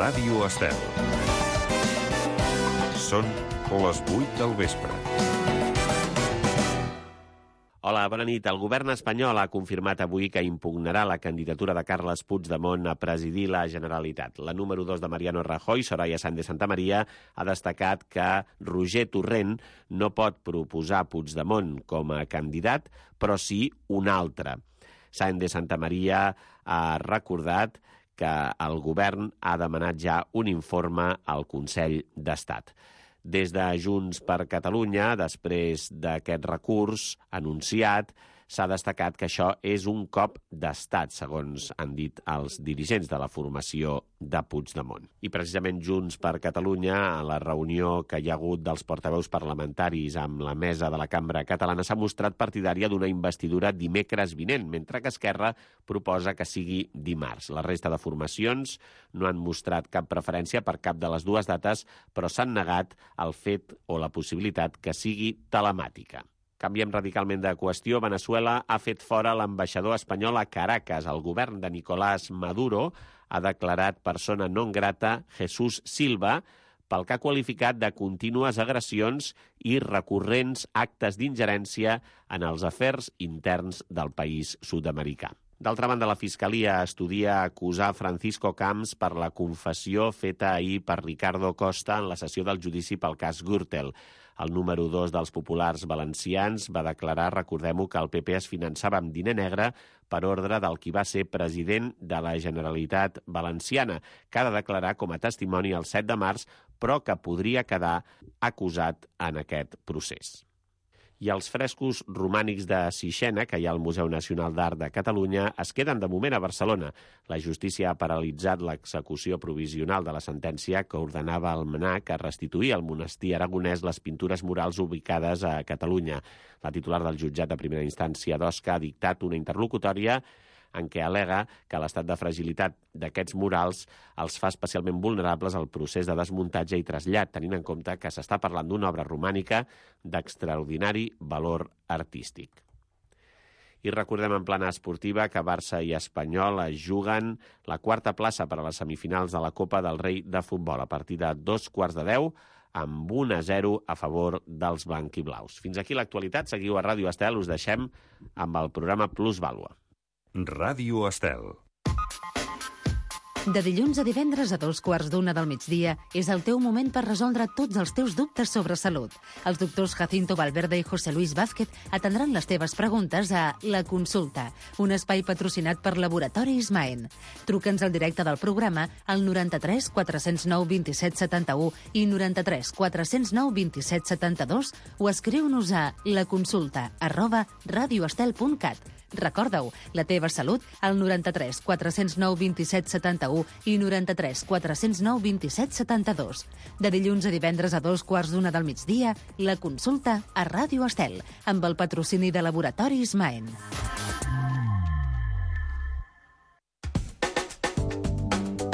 Ràdio Estel. Són les 8 del vespre. Hola, bona nit. El govern espanyol ha confirmat avui que impugnarà la candidatura de Carles Puigdemont a presidir la Generalitat. La número 2 de Mariano Rajoy, Soraya Sáenz de Santamaría, ha destacat que Roger Torrent no pot proposar Puigdemont com a candidat, però sí un altre. Sáenz de Santamaría ha recordat que el govern ha demanat ja un informe al Consell d'Estat. Des de Junts per Catalunya, després d'aquest recurs anunciat, s'ha destacat que això és un cop d'estat, segons han dit els dirigents de la formació de Puigdemont. I precisament Junts per Catalunya, a la reunió que hi ha hagut dels portaveus parlamentaris amb la mesa de la Cambra Catalana, s'ha mostrat partidària d'una investidura dimecres vinent, mentre que Esquerra proposa que sigui dimarts. La resta de formacions no han mostrat cap preferència per cap de les dues dates, però s'han negat el fet o la possibilitat que sigui telemàtica. Canviem radicalment de qüestió. Veneçuela ha fet fora l'ambaixador espanyol a Caracas. El govern de Nicolás Maduro ha declarat persona non grata Jesús Silva pel que ha qualificat de contínues agressions i recurrents actes d'ingerència en els afers interns del país sud-americà. D'altra banda, la Fiscalia estudia acusar Francisco Camps per la confessió feta ahir per Ricardo Costa en la sessió del judici pel cas Gürtel. El número 2 dels populars valencians va declarar, recordem-ho, que el PP es finançava amb diner negre per ordre del qui va ser president de la Generalitat Valenciana, que ha de declarar com a testimoni el 7 de març, però que podria quedar acusat en aquest procés. I els frescos romànics de Sixena, que hi ha al Museu Nacional d'Art de Catalunya, es queden de moment a Barcelona. La justícia ha paralitzat l'execució provisional de la sentència que ordenava al MNAC a restituir al monestir aragonès les pintures murals ubicades a Catalunya. La titular del jutjat de primera instància d'Osca ha dictat una interlocutòria en què al·lega que l'estat de fragilitat d'aquests murals els fa especialment vulnerables al procés de desmuntatge i trasllat, tenint en compte que s'està parlant d'una obra romànica d'extraordinari valor artístic. I recordem en plana esportiva que Barça i Espanyol es juguen la quarta plaça per a les semifinals de la Copa del Rei de Futbol a partir de 2:15 amb 1-0 a favor dels blanquiblaus. Fins aquí l'actualitat. Seguiu a Ràdio Estel. Us deixem amb el programa Plusvàlua. Ràdio Estel. De dilluns a divendres a 2:15 del migdia és el teu moment per resoldre tots els teus dubtes sobre salut. Els doctors Jacinto Valverde i José Luis Vázquez atendran les teves preguntes a La Consulta, un espai patrocinat per Laboratoris Maen. Truca'ns al directe del programa al 93 409 27 71 i 93 409 27 72 o escriu-nos a laconsulta@radioestel.cat. Recorda-ho, la teva salut al 93 409 27 71 i 93 409 27 72. De dilluns a divendres a 2:15 del migdia, La Consulta a Ràdio Estel, amb el patrocini de Laboratoris Maen.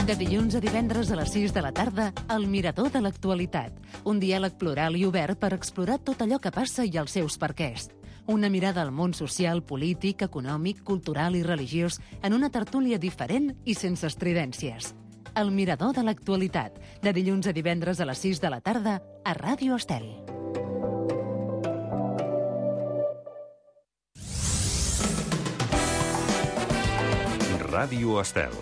De dilluns a divendres a les 6 de la tarda, El Mirador de l'Actualitat. Un diàleg plural i obert per explorar tot allò que passa i els seus perquès. Una mirada al món social, polític, econòmic, cultural i religiós en una tertúlia diferent i sense estridències. El Mirador de l'Actualitat, de dilluns a divendres a les 6 de la tarda a Ràdio Estel. Ràdio Estel.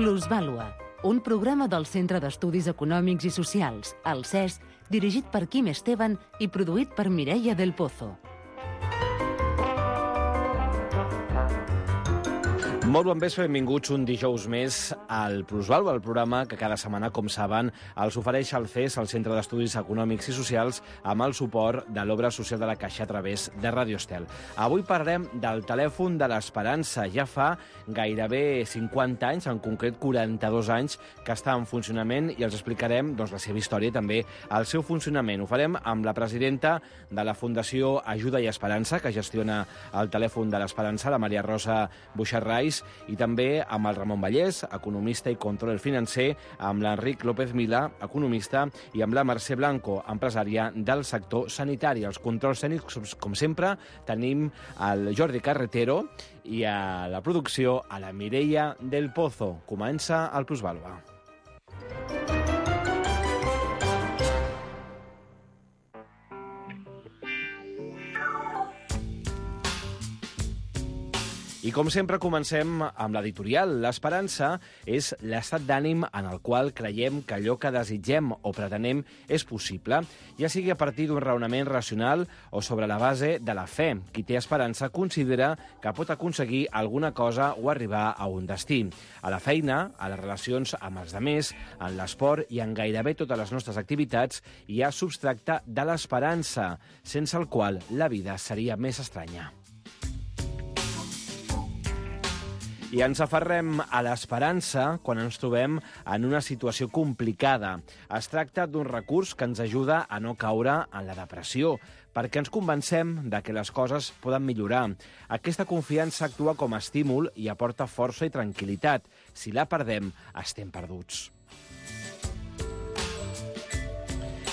Plusvàlua, un programa del Centre d'Estudis Econòmics i Socials, el CES, dirigit per Quim Esteban i produït per Mireia del Pozo. Molt bon vespre, benvinguts un dijous més al Plusvalua, el programa que cada setmana, com saben, els ofereix el CES, el Centre d'Estudis Econòmics i Socials, amb el suport de l'Obra Social de la Caixa a través de Radio Estel. Avui parlarem del telèfon de l'Esperança. Ja fa gairebé 50 anys, en concret 42 anys, que està en funcionament i els explicarem la seva història i també el seu funcionament. Ho farem amb la presidenta de la Fundació Ajuda i Esperança, que gestiona el telèfon de l'Esperança, la Maria Rosa Buixarrais, i també amb el Ramon Vallès, economista i controller financer, amb l'Enric López Milà, economista, i amb la Mercè Blanco, empresària del sector sanitari. Els controls tècnics, com sempre, tenim el Jordi Carretero i a la producció a la Mireia del Pozo. Comença el Plusvalua. I com sempre comencem amb l'editorial. L'esperança és l'estat d'ànim en el qual creiem que allò que desitgem o pretenem és possible, ja sigui a partir d'un raonament racional o sobre la base de la fe. Qui té esperança considera que pot aconseguir alguna cosa o arribar a un destí. A la feina, a les relacions amb els demés, en l'esport i en gairebé totes les nostres activitats hi ha substracte de l'esperança, sense el qual la vida seria més estranya. I ens aferrem a l'esperança quan ens trobem en una situació complicada. Es tracta d'un recurs que ens ajuda a no caure en la depressió, perquè ens convencem de que les coses poden millorar. Aquesta confiança actua com a estímul i aporta força i tranquil·litat. Si la perdem, estem perduts.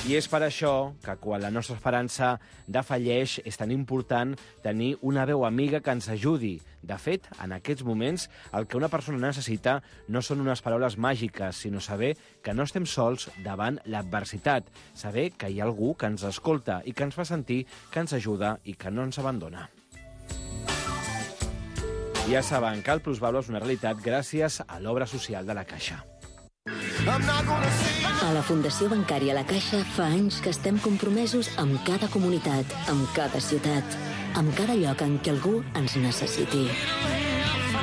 I és per això que quan la nostra esperança defalleix és tan important tenir una veu amiga que ens ajudi. De fet, en aquests moments, el que una persona necessita no són unes paraules màgiques, sinó saber que no estem sols davant l'adversitat, saber que hi ha algú que ens escolta i que ens fa sentir que ens ajuda i que no ens abandona. Ja saben que el Plusvalua és una realitat gràcies a l'obra social de la Caixa. A la Fundació Bancària La Caixa fa anys que estem compromesos amb cada comunitat, amb cada ciutat, amb cada lloc en què algú ens necessiti.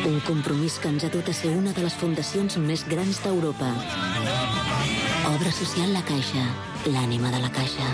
Un compromís que ens ha dut a ser una de les fundacions més grans d'Europa. Obra social La Caixa, l'ànima de la Caixa.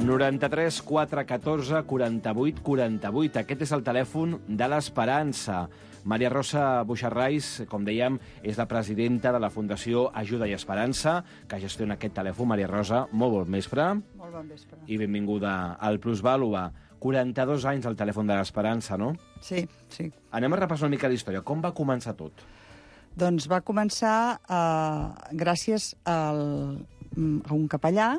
93 414 48 48. Aquest és el telèfon de l'Esperança. Maria Rosa Buixarrais, com dèiem, és la presidenta de la Fundació Ajuda i Esperança, que gestiona aquest telèfon. Maria Rosa, molt bon vespre. Molt bon vespre. I benvinguda al Plusvalua. 42 anys al telèfon de l'Esperança, no? Sí, sí. Anem a repassar una mica la història. Com va començar tot? Doncs va començar gràcies a un capellà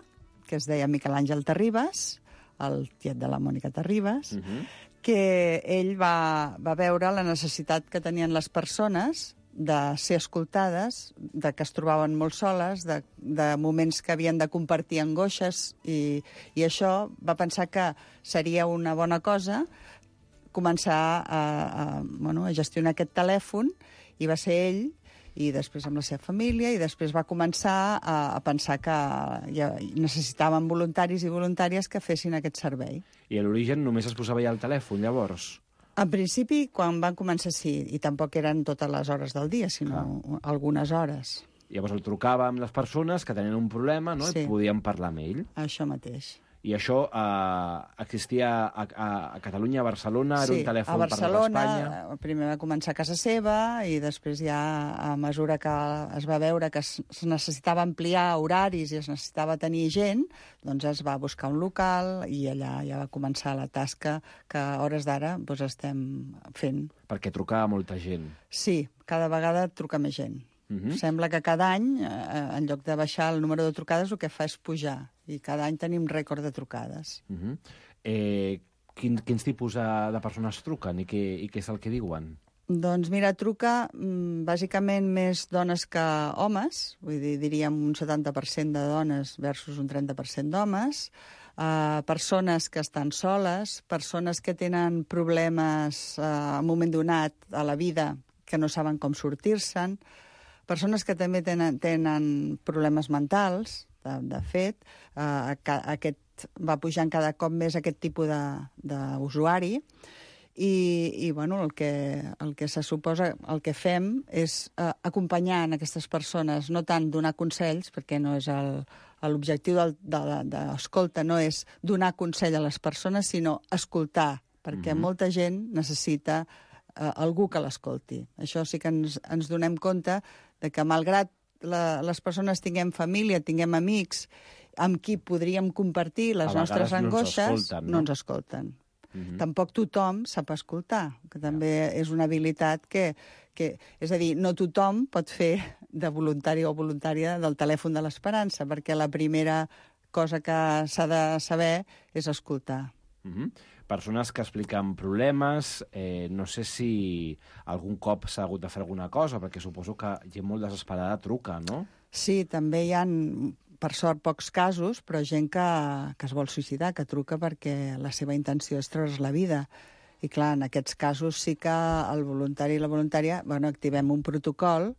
que es deia Miquel Àngel Terribas, el tiet de la Mònica Terribas, que ell va veure la necessitat que tenien les persones de ser escoltades, de que es trobaven molt soles, de moments que havien de compartir angoixes, i això va pensar que seria una bona cosa començar a gestionar aquest telèfon, i va ser ell, i després amb la seva família, i després va començar a pensar que ja necessitaven voluntaris i voluntàries que fessin aquest servei. I a l'origen només es posava ja el telèfon, llavors? En principi, quan van començar, sí, i tampoc eren totes les hores del dia, sinó algunes hores. Llavors el trucava amb les persones que tenien un problema, no? Sí. I podien parlar amb ell. Això mateix. I això existia a Catalunya, a Barcelona, era un telèfon per tot Espanya? A Barcelona, primer va començar a casa seva, i després ja, a mesura que es va veure que es necessitava ampliar horaris i es necessitava tenir gent, doncs es va buscar un local i allà ja va començar la tasca que a hores d'ara estem fent. Perquè trucava molta gent. Sí, cada vegada truca més gent. Sembla que cada any, en lloc de baixar el número de trucades, el que fa és pujar. I cada any tenim rècord de trucades. Quins tipus de persones truquen i què és el que diuen? Doncs mira, truca bàsicament més dones que homes, vull dir, diríem un 70% de dones versus un 30% d'homes, persones que estan soles, persones que tenen problemes en un moment donat a la vida que no saben com sortir-se'n, persones que també tenen problemes mentals, de fet, aquest va pujant cada cop més aquest tipus d'usuari i bueno, el que se suposa, el que fem és acompanyar aquestes persones, no tant donar consells, perquè no és l'objectiu d'escolta, no és donar consell a les persones, sinó escoltar, perquè molta gent necessita algú que l'escolti. Això sí que ens donem compte de que malgrat les persones tinguem família, tinguem amics, amb qui podríem compartir les nostres angoixes, no ens escolten. Tampoc tothom sap escoltar, que també és una habilitat que... És a dir, no tothom pot fer de voluntari o voluntària del telèfon de l'Esperança, perquè la primera cosa que s'ha de saber és escoltar. Persones que expliquen problemes, no sé si algun cop s'ha hagut de fer alguna cosa, perquè suposo que gent molt desesperada truca, no? Sí, també hi ha, per sort, pocs casos, però gent que es vol suïcidar, que truca perquè la seva intenció és treure's la vida. I clar, en aquests casos sí que el voluntari i la voluntària activem un protocol,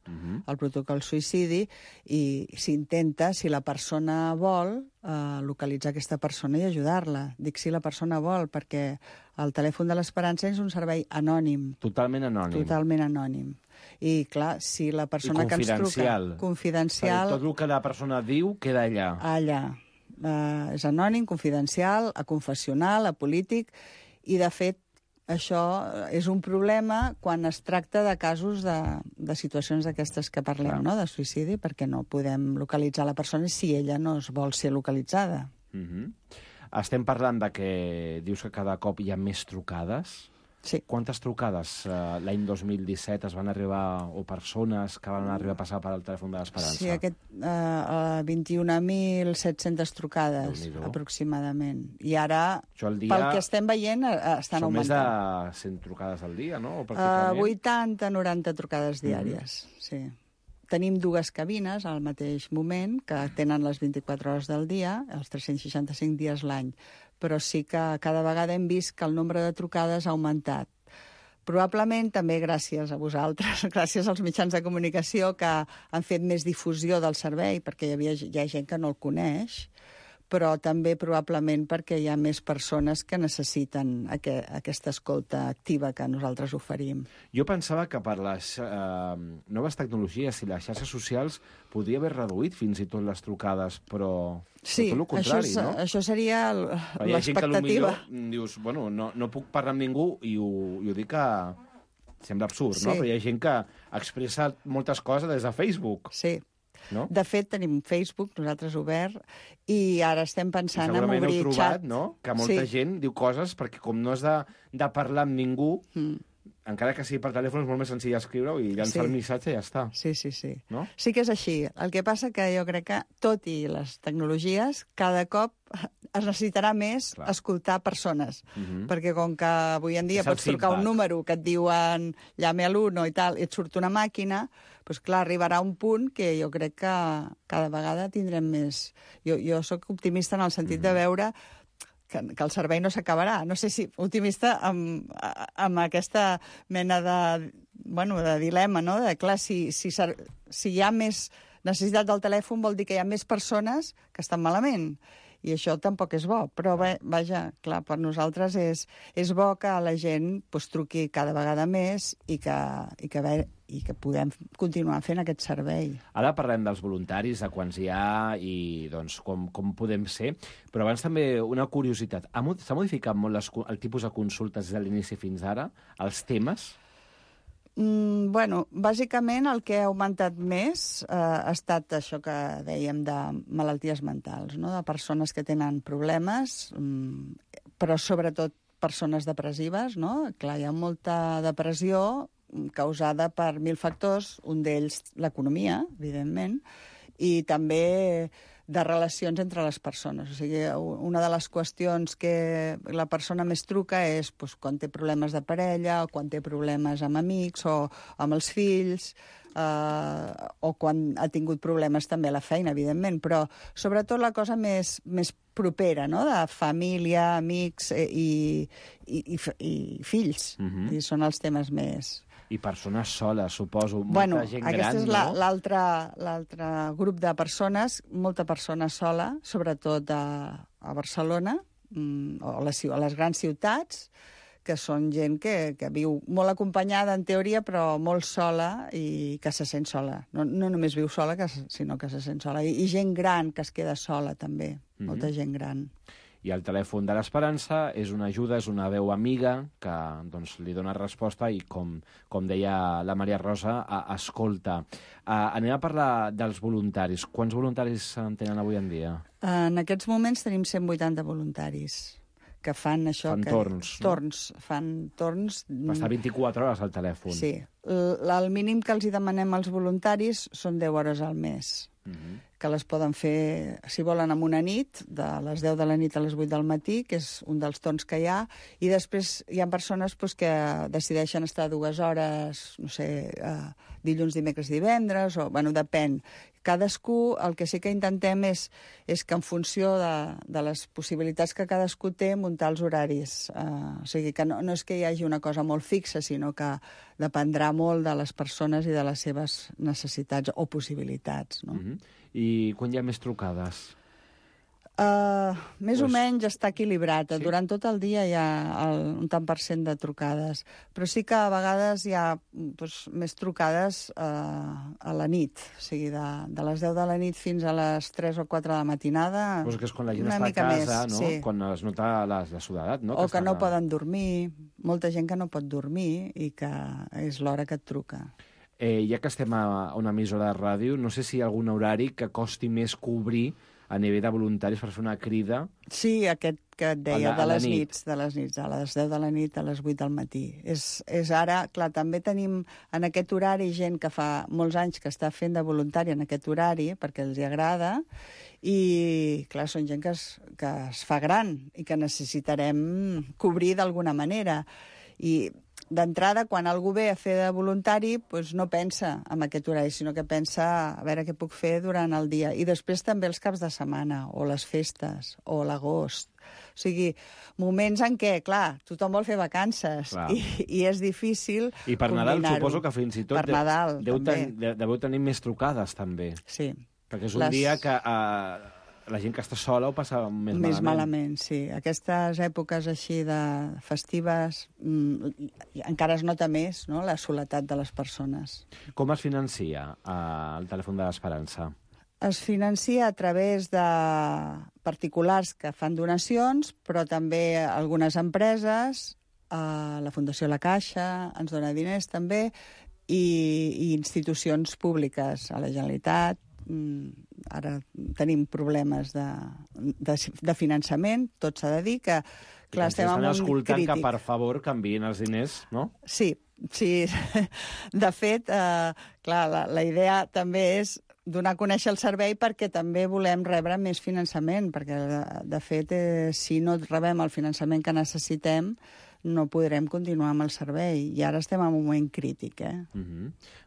el protocol suïcidi, i s'intenta, si la persona vol, localitzar aquesta persona i ajudar-la. Dic si la persona vol, perquè el telèfon de l'Esperança és un servei anònim. Totalment anònim. Totalment anònim. I clar, si la persona que ens truca... Confidencial. Tot el que la persona diu queda allà. Allà. És anònim, confidencial, aconfessional, apolític, i de fet això és un problema quan es tracta de casos de situacions d'aquestes que parlem, no? De suïcidi, perquè no podem localitzar la persona si ella no es vol ser localitzada. Estem parlant de que dius que cada cop hi ha més trucades. Sí. Quantes trucades l'any 2017 es van arribar, o persones que van arribar a passar per al telèfon de l'Esperança? Sí, 21.700 trucades, aproximadament. I ara, pel que estem veient, estan augmentant. Són més de 100 trucades al dia, no? 80-90 trucades diàries, sí. Tenim 2 cabines al mateix moment, que tenen les 24 hores del dia, els 365 dies l'any, però sí que cada vegada hem vist que el nombre de trucades ha augmentat. Probablement també gràcies a vosaltres, gràcies als mitjans de comunicació que han fet més difusió del servei, perquè hi ha gent que no el coneix, però també probablement perquè hi ha més persones que necessiten aquesta escolta activa que nosaltres oferim. Jo pensava que per les noves tecnologies i les xarxes socials podria haver reduït fins i tot les trucades, però tot el contrari, no? Això seria l'expectativa. Hi ha gent que potser dius, bueno, no puc parlar amb ningú i ho dic que sembla absurd, no? Però hi ha gent que expressa moltes coses des de Facebook. Sí. No? De fet, tenim Facebook, nosaltres obert, i ara estem pensant en obrir xat. Segurament heu trobat, no?, que molta gent diu coses, perquè com no has de parlar amb ningú, encara que sigui per telèfon, és molt més senzill escriure-ho i llançar el missatge i ja està. Sí. No? Sí que és així. El que passa que jo crec que, tot i les tecnologies, cada cop es necessitarà més escoltar persones. Perquè com que avui en dia pots trucar un número que et diuen llame a l'1 i tal, i et surt una màquina, doncs clar, arribarà un punt que jo crec que cada vegada tindrem més... Jo sóc optimista en el sentit de veure que el servei no s'acabarà. No sé si optimista amb aquesta mena de dilema, no? De, clar, si hi ha més necessitat del telèfon vol dir que hi ha més persones que estan malament. I això tampoc és bo. Però, vaja, clar, per nosaltres és bo que la gent truqui cada vegada més i que podem continuar fent aquest servei. Ara parlem dels voluntaris, de quants hi ha i doncs, com podem ser, però abans també una curiositat. S'ha modificat molt el tipus de consultes des de l'inici fins ara? Els temes? Bueno, bàsicament el que ha augmentat més ha estat això que dèiem de malalties mentals, no? De persones que tenen problemes, però sobretot persones depressives, no? Clar, hi ha molta depressió causada per 1000 factors, un d'ells l'economia, evidentment, i també de relacions entre les persones. O sigui, una de les qüestions que la persona més truca és quan té problemes de parella, o quan té problemes amb amics, o amb els fills, o quan ha tingut problemes també a la feina, evidentment, però sobretot la cosa més propera, no?, de família, amics i fills. I són els temes més... I persones soles, suposo. Molta gent gran, aquest és no? l'altre grup de persones, molta persona sola, sobretot a Barcelona, o a les grans ciutats, que són gent que viu molt acompanyada, en teoria, però molt sola i que se sent sola. No només viu sola, sinó que se sent sola. I gent gran que es queda sola, també. Molta gent gran. I el telèfon de l'Esperança és una ajuda, és una veu amiga que doncs, li dona resposta i, com deia la Maria Rosa, escolta. Anem a parlar dels voluntaris. Quants voluntaris en tenen avui en dia? En aquests moments tenim 180 voluntaris que fan això... Fan torns, no? Fan torns... Va estar 24 hores al telèfon. Sí. El mínim que els hi demanem als voluntaris són 10 hores al mes, que les poden fer, si volen, en una nit, de les 10 de la nit a les 8 del matí, que és un dels torns que hi ha, i després hi ha persones que decideixen estar 2 hores, no sé, dilluns, dimecres, divendres, o, bueno, depèn. Cadascú, el que sí que intentem és que en funció de les possibilitats que cadascú té, muntar els horaris. O sigui, que no és que hi hagi una cosa molt fixa, sinó que dependrà molt de les persones i de les seves necessitats o possibilitats, no? I quan hi ha més trucades? Més o menys està equilibrat. Sí? Durant tot el dia hi ha un tant per cent de trucades, però sí que a vegades hi ha més trucades a la nit, o sigui, de les 10 de la nit fins a les 3 o 4 de la matinada. Pues que és quan la gent una està a mica casa, més, no? sí. Quan es nota la soledat, no? O que no poden dormir, molta gent que no pot dormir i que és l'hora que et truca. Ja que estem a una emissora de ràdio, no sé si hi ha algun horari que costi més cobrir a nivell de voluntaris per fer una crida. Sí, aquest que et deia, a les nits, a les 10 de la nit a les 8 del matí. És ara, clar, també tenim en aquest horari gent que fa molts anys que està fent de voluntari en aquest horari, perquè els hi agrada, i, clar, són gent que es fa gran i que necessitarem cobrir d'alguna manera. I d'entrada, quan algú ve a fer de voluntari, doncs no pensa en aquest horari, sinó que pensa a veure què puc fer durant el dia. I després també els caps de setmana, o les festes, o l'agost. O sigui, moments en què, clar, tothom vol fer vacances i és difícil I per Nadal suposo que fins i tot per Nadal, deveu tenir més trucades, també. Sí. Perquè és un dia que la gent que està sola ho passa més malament. Més malament, sí. Aquestes èpoques així de festives encara es nota més, no?, la soledat de les persones. Com es financia el telèfon de l'Esperança? Es financia a través de particulars que fan donacions, però també algunes empreses, la Fundació La Caixa ens dona diners també, i institucions públiques, a la Generalitat. Ara tenim problemes de finançament, tot s'ha de dir, que clar, estem en un escoltant crític. Que, per favor, canviïn els diners, no? Sí. De fet, clar, la idea també és donar a conèixer el servei perquè també volem rebre més finançament, perquè, de fet, si no rebem el finançament que necessitem, no podrem continuar amb el servei. I ara estem en un moment crític,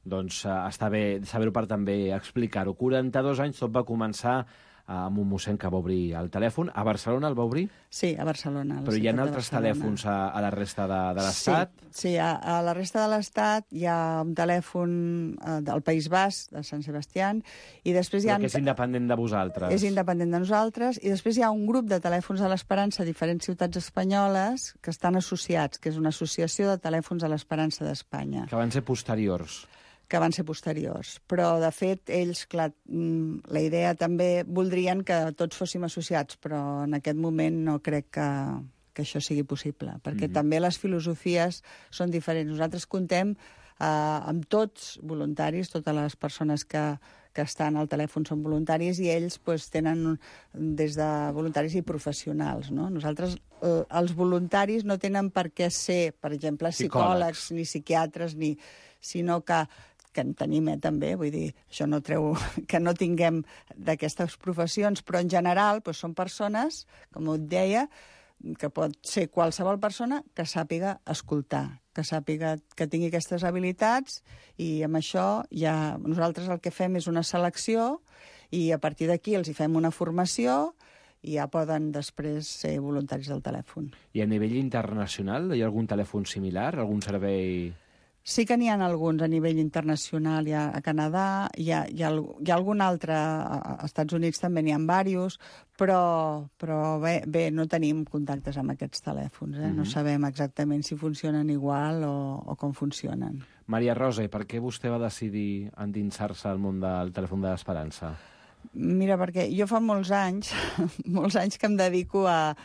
Doncs està bé saber-ho per també explicar-ho. 42 anys, tot va començar amb un mossèn que va obrir el telèfon. A Barcelona el va obrir? Sí, a Barcelona. Però hi ha altres telèfons a la resta de l'Estat? Sí, a la resta de l'Estat hi ha un telèfon del País Basc, de Sant Sebastià, i després hi ha... Però que és independent de vosaltres. És independent de nosaltres, i després hi ha un grup de telèfons de l'Esperança a diferents ciutats espanyoles que estan associats, que és una associació de telèfons de l'Esperança d'Espanya. Que van ser posteriors. Que van ser posteriors. Però, de fet, ells, clar, la idea també voldrien que tots fóssim associats, però en aquest moment no crec que això sigui possible, perquè també les filosofies són diferents. Nosaltres contem amb tots voluntaris, totes les persones que estan al telèfon són voluntaris, i ells tenen des de voluntaris i professionals, no? Nosaltres, els voluntaris no tenen per què ser, per exemple, psicòlegs ni psiquiatres, sinó que en tenim també, vull dir, això no treu que no tinguem d'aquestes professions, però en general són persones, com et deia, que pot ser qualsevol persona que sàpiga escoltar, que sàpiga que tingui aquestes habilitats, i amb això ja nosaltres el que fem és una selecció i a partir d'aquí els hi fem una formació i ja poden després ser voluntaris del telèfon. I a nivell internacional hi ha algun telèfon similar, algun servei... Sí que n'hi ha alguns a nivell internacional, hi ha a Canadà, hi ha algun altre, als Estats Units també n'hi ha diversos, però bé, no tenim contactes amb aquests telèfons, No sabem exactament si funcionen igual o com funcionen. Maria Rosa, i per què vostè va decidir endinsar-se al món del telèfon de l'Esperança? Mira, perquè jo fa molts anys que em dedico a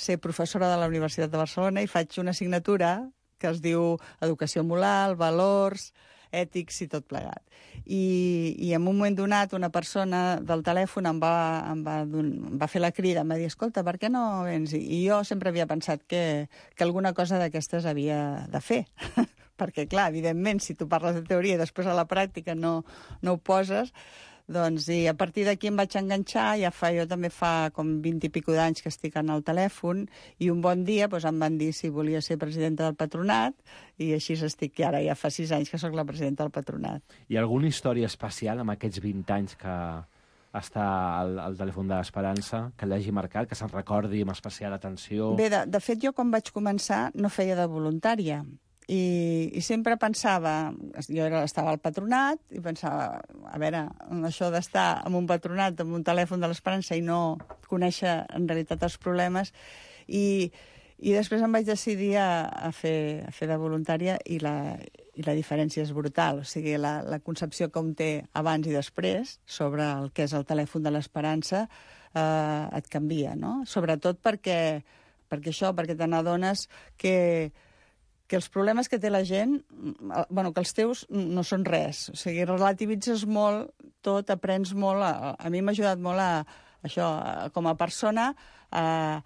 ser professora de la Universitat de Barcelona i faig una assignatura que es diu Educació Moral, Valors, Ètics i tot plegat. I en un moment donat una persona del telèfon em va fer la crida, em va dir, escolta, per què no vens? I jo sempre havia pensat que alguna cosa d'aquestes havia de fer. Perquè, clar, evidentment, si tu parles de teoria i després a la pràctica no ho poses, doncs, i a partir d'aquí em vaig enganxar, jo també fa com 20 i pico d'anys que estic en el telèfon, i un bon dia em van dir si volia ser presidenta del patronat, i així estic, i ara ja fa 6 anys que sóc la presidenta del patronat. Hi ha alguna història especial amb aquests 20 anys que està al telèfon de l'Esperança, que l'hagi marcat, que se'n recordi amb especial atenció? Bé, de fet, jo quan vaig començar no feia de voluntària, i sempre pensava, jo estava al patronat i pensava, a veure, això d'estar en un patronat, amb un telèfon de l'Esperança i no conèixer en realitat els problemes, i després em vaig decidir a fer de voluntària i la diferència és brutal, o sigui, la concepció que un té abans i després sobre el que és el telèfon de l'Esperança et canvia, no? Sobretot perquè te n'adones que els problemes que té la gent, que els teus no són res. O sigui, relativitzes molt tot, aprens molt. A mi m'ha ajudat molt com a persona, a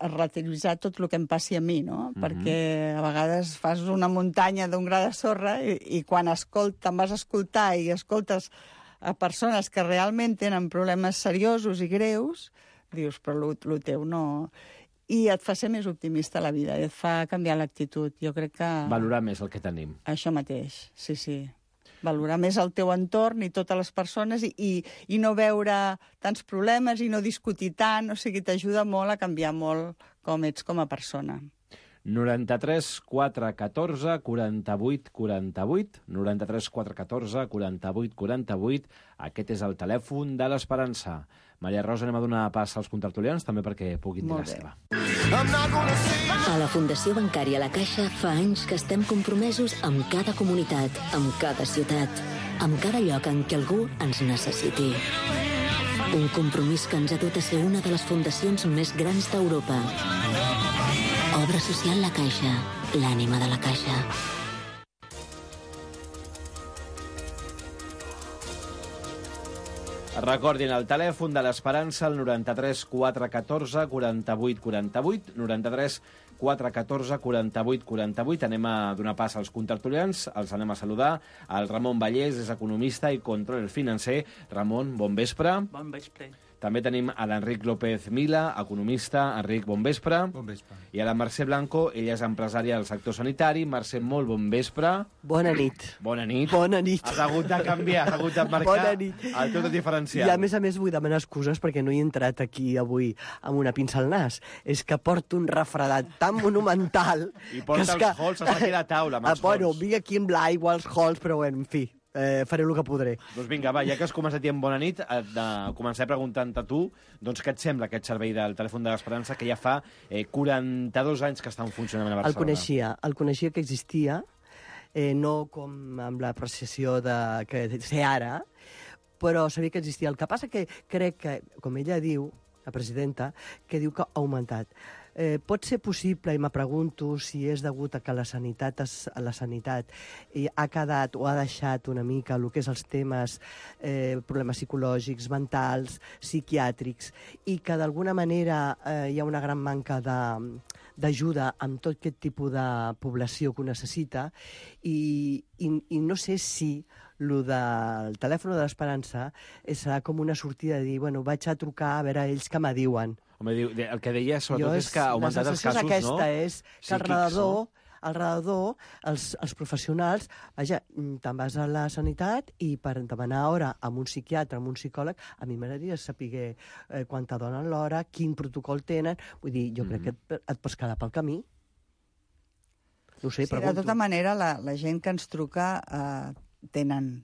relativitzar tot el que em passi a mi, no? Perquè a vegades fas una muntanya d'un gra de sorra i quan te'n vas a escoltar i escoltes a persones que realment tenen problemes seriosos i greus, dius, però el teu no... I et fa ser més optimista a la vida, i et fa canviar l'actitud. Jo crec que... Valorar més el que tenim. Això mateix, sí. Valorar més el teu entorn i totes les persones i no veure tants problemes i no discutir tant, o sigui, t'ajuda molt a canviar molt com ets com a persona. 93 414 48 48, 93 414 48 48, aquest és el telèfon de l'Esperança. Maria Rosa, anem a donar pas als contertulians, també perquè puguin dir la seva. A la Fundació Bancària La Caixa fa anys que estem compromesos amb cada comunitat, amb cada ciutat, amb cada lloc en què algú ens necessiti. Un compromís que ens ha dut a ser una de les fundacions més grans d'Europa. Obra social La Caixa, l'ànima de la Caixa. Recordin el telèfon de l'Esperança, el 93 414 48 48, 93 414 48 48. Anem a donar pas als contertulians, els anem a saludar. El Ramon Vallès és economista i controller financer. Ramon, bon vespre. Bon vespre. També tenim a l'Enric López Mila, economista. Enric, bon vespre. Bon vespre. I a la Mercè Blanco, ella és empresària del sector sanitari. Mercè, molt bon vespre. Bona nit. Bona nit. Bona nit. Has hagut de canviar, has hagut de marcar Bona nit. el teu diferencial. I a més vull demanar excuses perquè no he entrat aquí avui amb una pinça al nas. És que porto un refredat tan monumental... I porta els halls, has de quedar a taula amb els halls. Bueno, vinc aquí amb l'aigua, els halls, però bueno, en fi, faré el que podré. Doncs vinga, va, ja que has començat dient bona nit, començaré preguntant a tu, doncs què et sembla aquest servei del telèfon de l'Esperança que ja fa 42 anys que està en funcionament a Barcelona? El coneixia que existia, no com amb l'apreciació que sé ara, però sabia que existia. El que passa que crec que, com ella diu, la presidenta, que diu que ha augmentat. Pot ser possible, i me pregunto si és degut a que la sanitat ha quedat o ha deixat una mica el que és els temes, problemes psicològics, mentals, psiquiàtrics, i que d'alguna manera hi ha una gran manca d'ajuda amb tot aquest tipus de població que ho necessita, i no sé si el del telèfon de l'Esperança serà com una sortida de dir, bueno, vaig a trucar a veure ells què me diuen. Home, el que deia sobretot és que ha augmentat els casos, no? La sensació és que al redador, els professionals, vaja, te'n vas a la sanitat i per demanar hora amb un psiquiatre, amb un psicòleg, a mi m'agradaria saber quan te donen l'hora, quin protocol tenen, vull dir, jo crec que et pots quedar pel camí. No ho sé, Sí, de pregunto. tota manera, la gent que ens truca tenen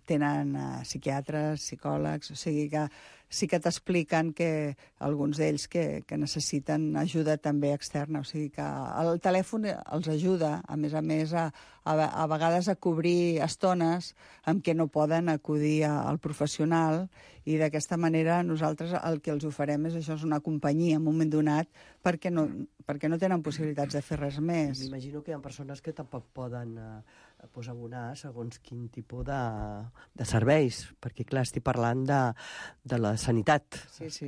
psiquiatres, psicòlegs, o sigui que sí que t'expliquen que alguns d'ells que necessiten ajuda també externa, o sigui que el telèfon els ajuda, a més, a vegades a cobrir estones en què no poden acudir al professional, i d'aquesta manera nosaltres el que els oferem és això, és una companyia en un moment donat, perquè no tenen possibilitats de fer res més. M'imagino que hi ha persones que tampoc poden abonar segons quin tipus de serveis, perquè, clar, estic parlant de la sanitat. Sí, sí.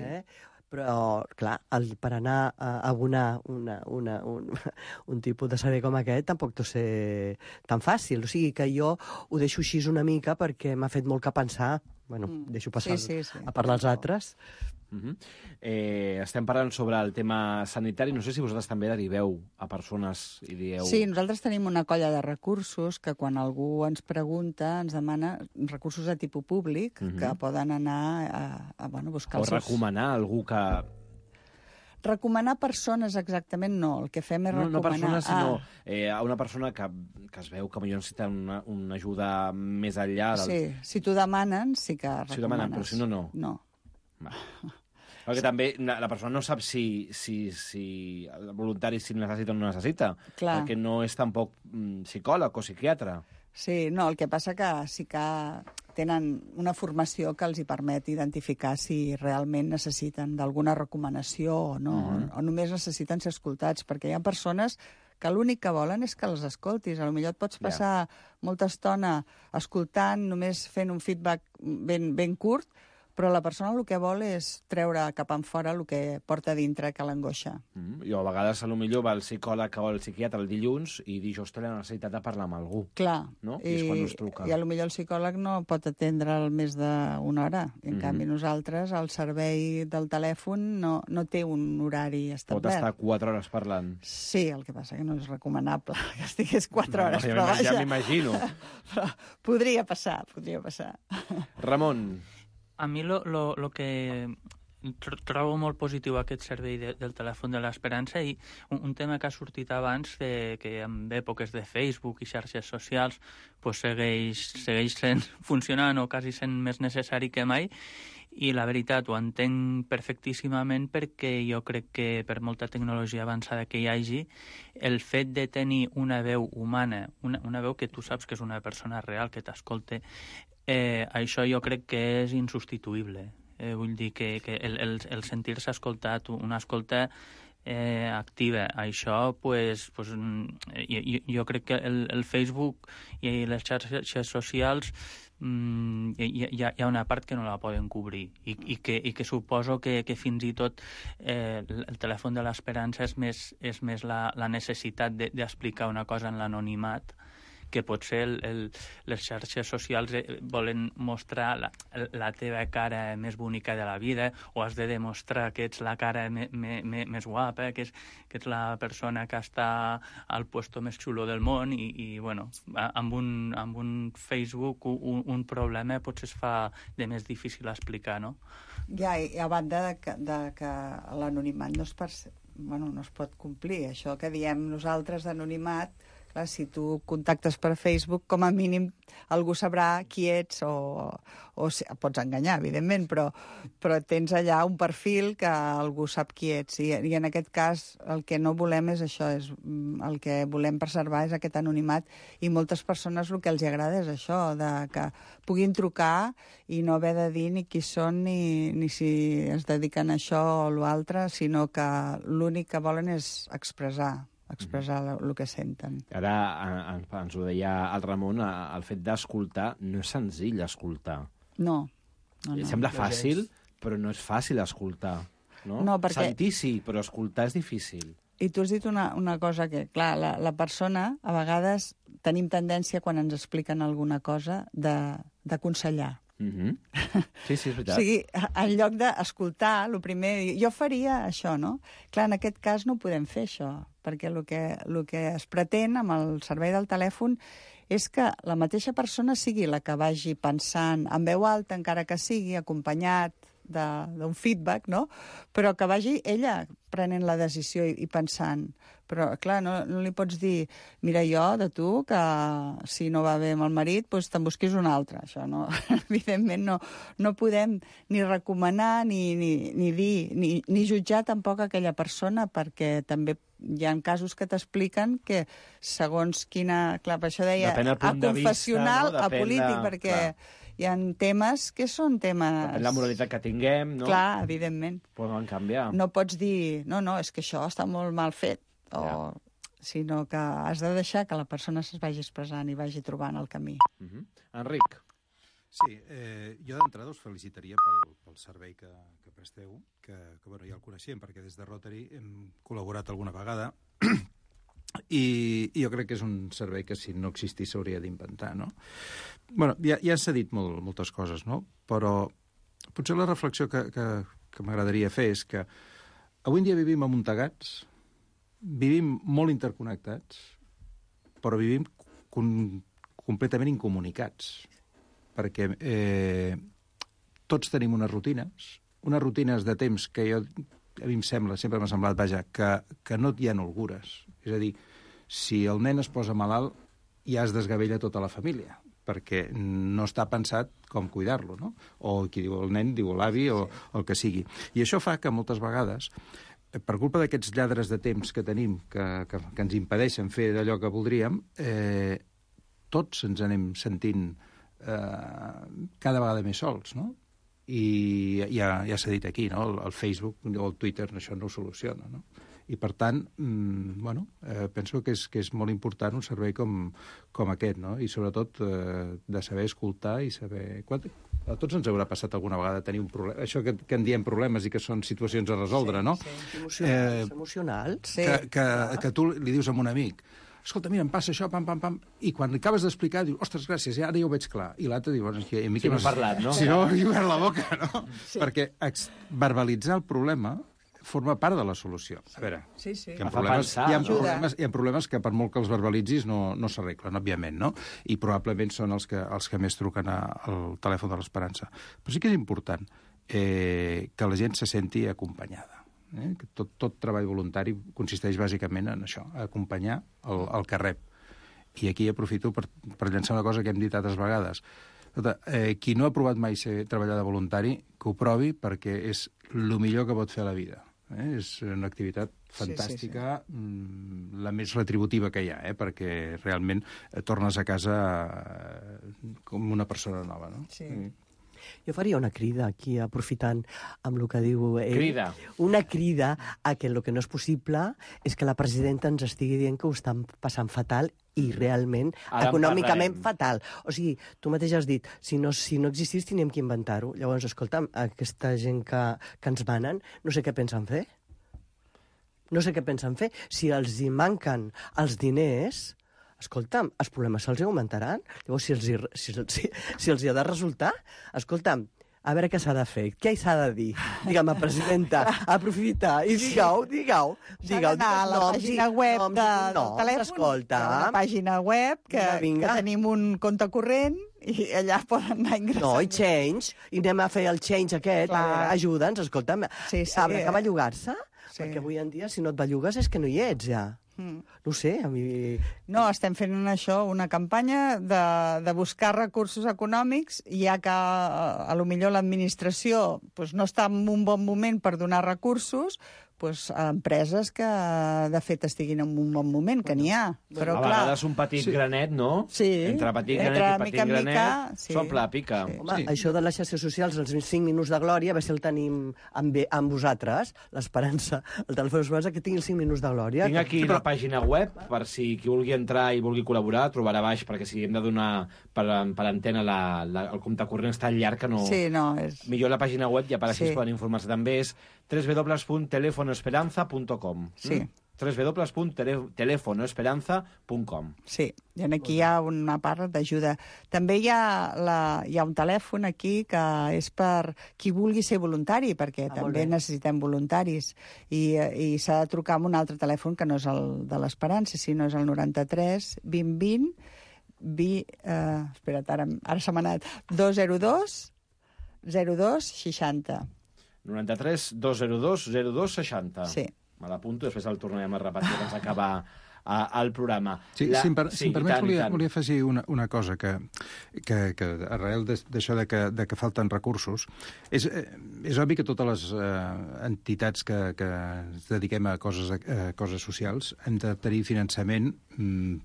Però, clar, per anar a abonar un tipus de servei com aquest tampoc deu ser tan fàcil. O sigui que jo ho deixo així una mica perquè m'ha fet molt que pensar. Bueno, deixo passar sí. a parlar als altres. Estem parlant sobre el tema sanitari. No sé si vosaltres també deriveu a persones i dieu... Sí, nosaltres tenim una colla de recursos que quan algú ens pregunta ens demana recursos de tipus públic que poden anar a buscar o recomanar algú que... Recomanar persones exactament no, el que fem és recomanar... No persones, sinó a una persona que es veu que potser necessita una ajuda més enllà. Sí, si t'ho demanen, sí que recomanes. Si ho demanen, però si no, no. No. Va. Perquè també la persona no sap si el voluntari si necessita o no necessita. Clar. Perquè no és tampoc psicòleg o psiquiatre. Sí, no, el que passa que sí que tenen una formació que els hi permet identificar si realment necessiten d'alguna recomanació o no, o només necessiten ser escoltats, perquè hi ha persones que l'únic que volen és que les escoltis. Potser et pots passar molta estona escoltant, només fent un feedback ben curt, però la persona el que vol és treure cap enfora el que porta dintre, que l'angoixa. I a vegades potser va el psicòleg o el psiquiatre el dilluns i dijous té la necessitat de parlar amb algú. Clar. No? I és quan us truca. I potser el psicòleg no pot atendre més d'una hora. En canvi, nosaltres, el servei del telèfon no té un horari establert. Pot estar 4 hores parlant. Sí, el que passa que no és recomanable que estigués 4 hores, però vaja. Ja m'imagino. Però podria passar. Ramon. A mi lo que trobo molt positiu aquest servei del telèfon de l'Esperança, i un tema que ha sortit abans, que en èpoques de Facebook i xarxes socials pues segueix funcionant o quasi sent més necessari que mai, i la veritat ho entenc perfectíssimament, perquè jo crec que per molta tecnologia avançada que hi hagi, el fet de tenir una veu humana, una veu que tu saps que és una persona real que t'escolta, això jo crec que és insubstituïble. Vull dir que el sentir-se escoltat, una escolta activa, això jo crec que el Facebook i les xarxes socials hi ha una part que no la poden cobrir, i que suposo que fins i tot el telèfon de l'Esperança és més la necessitat d'explicar una cosa en l'anonimat, que potser les xarxes socials volen mostrar la teva cara més bonica de la vida, o has de demostrar que ets la cara més guapa, que ets la persona que està al puesto més xulo del món, i bueno, amb un Facebook un problema potser es fa de més difícil explicar, no? Ja, i a banda de que l'anonimat no es pot complir. Això que diem nosaltres d'anonimat, clar, si tu contactes per Facebook, com a mínim algú sabrà qui ets, o pots enganyar, evidentment, però tens allà un perfil que algú sap qui ets. I en aquest cas el que no volem és això, el que volem preservar és aquest anonimat, i moltes persones el que els agrada és això, que puguin trucar i no haver de dir ni qui són ni si es dediquen a això o l'altre, sinó que l'únic que volen és expressar el que senten. Ara ens ho deia el Ramon, el fet d'escoltar no és senzill escoltar. No. Sembla fàcil, però no és fàcil escoltar. No, perquè... Sentir sí, però escoltar és difícil. I tu has dit una cosa que, clar, la persona, a vegades tenim tendència, quan ens expliquen alguna cosa, d'aconsellar. Sí, és veritat. O sigui, en lloc d'escoltar, el primer... Jo faria això, no? Clar, en aquest cas no podem fer això, perquè el que es pretén amb el servei del telèfon és que la mateixa persona sigui la que vagi pensant en veu alta, encara que sigui acompanyat d'un feedback, no? Però que vagi ella prenent la decisió i pensant. Però, clar, no li pots dir, mira, jo, de tu, que si no va bé amb el marit, doncs te'n busquis un altre. Això no, evidentment no podem ni recomanar, ni dir, ni jutjar tampoc aquella persona, perquè també hi ha casos que t'expliquen que segons quina... Clar, per això deia, a confessional, a polític, perquè... Clar. Hi ha temes que són temes... Depèn la moralitat que tinguem, no? Clar, evidentment. Poden canviar. No pots dir, no, és que això està molt mal fet, sinó que has de deixar que la persona es vagi expressant i vagi trobant el camí. Enric. Sí, jo d'entrada us felicitaria pel servei que presteu, que bueno, ja el coneixem, perquè des de Rotary hem col·laborat alguna vegada, i jo crec que és un servei que si no existís s'hauria d'inventar, no? Bueno, ja s'ha dit moltes coses, no? Però potser la reflexió que m'agradaria fer és que avui en dia vivim amuntegats, vivim molt interconnectats, però vivim completament incomunicats, perquè tots tenim unes rutines de temps que a mi sempre m'ha semblat, vaja, que no hi ha holgures. És a dir, si el nen es posa malalt, ja es desgavella tota la família, perquè no està pensat com cuidar-lo, no? O qui diu el nen, diu l'avi, o el que sigui. I això fa que moltes vegades, per culpa d'aquests lladres de temps que tenim, que ens impedeixen fer d'allò que voldríem, tots ens anem sentint cada vegada més sols, no? I ja s'ha dit aquí, no? El Facebook o el Twitter això no ho soluciona, no? I, per tant, penso que és molt important un servei com aquest, no? I, sobretot, de saber escoltar i saber... A tots ens haurà passat alguna vegada tenir un problema. Això que en diem problemes i que són situacions a resoldre, no? Sí, emocionals. Que tu li dius a un amic, escolta, mira, em passa això, pam, i quan li acabes d'explicar, dius, ostres, gràcies, ara ja ho veig clar. I l'altre diu, bueno, a mi que m'has parlat, no? Si no, he obert la boca, no? Sí. Perquè verbalitzar el problema forma part de la solució. A veure, sí. Hi ha problemes que per molt que els verbalitzis no s'arreglen, òbviament, no? I probablement són els que més truquen al telèfon de l'Esperança. Però sí que és important que la gent se senti acompanyada. Que tot treball voluntari consisteix bàsicament en això, acompanyar el que rep. I aquí aprofito per llançar una cosa que hem dit altres vegades. Qui no ha provat mai treballar de voluntari, que ho provi, perquè és el millor que pot fer a la vida. És una activitat fantàstica, la més retributiva que hi ha, perquè realment tornes a casa com una persona nova, no? Sí. Jo faria una crida aquí, aprofitant amb el que diu ell. Crida. Una crida a que el que no és possible és que la presidenta ens estigui dient que ho estan passant fatal i realment, econòmicament fatal. O sigui, tu mateix has dit, si no existís, teníem que inventar-ho. Llavors, escolta'm, aquesta gent que ens manen, no sé què pensen fer. Si els hi manquen els diners... Escolta'm, els problemes se'ls augmentaran? Llavors, si els hi ha de resultar, escolta'm, a veure què s'ha de fer, què s'ha de dir? Digue'm, presidenta, aprofita, i digueu. S'ha d'anar a la pàgina web del telèfon, escolta, una pàgina web que tenim un compte corrent i allà poden anar ingressant. No, i change, i anem a fer el change aquest, ajuda'ns, escolta'm, sabrà que bellugar-se? Perquè avui en dia, si no et bellugues, és que no hi ets, ja. No sé, a mi... No, estem fent això, una campanya de buscar recursos econòmics, ja que a lo millor l'administració no està en un bon moment per donar recursos, a empreses que, de fet, estiguin en un bon moment, que n'hi ha. Però, a vegades un petit granet, no? Sí. Entre petit granet i petit granet s'omple la pica. Home, això de les xarxes socials, els 5 minuts de glòria, a veure si el tenim amb vosaltres, l'Esperança, el telèfon d'Esperança, que tingui els 5 minuts de glòria. Tinc aquí la pàgina web, per si qui vulgui entrar i vulgui col·laborar, trobarà baix, perquè si hem de donar per antena el compte corrent és tan llarg que no... Sí, no, és... Millor la pàgina web, ja per així es poden informar-se. També és www.telefonoesperanza.com. Sí. www.telefonoesperanza.com. Sí, i aquí hi ha una part d'ajuda. També hi ha un telèfon aquí que és per qui vulgui ser voluntari, perquè també necessitem voluntaris. I s'ha de trucar amb un altre telèfon que no és el de l'Esperança, sinó és el 93 20 20... espera't, ara se m'ha anat. 202 02 60. 93 202 0260. Sí. Me l'apunto, després el tornarem a repetir abans d'acabar el programa. Sí, si em permets, volia afegir una cosa, que arrel d'això de que falten recursos, és obvi que totes les entitats que ens dediquem a coses socials hem de tenir finançament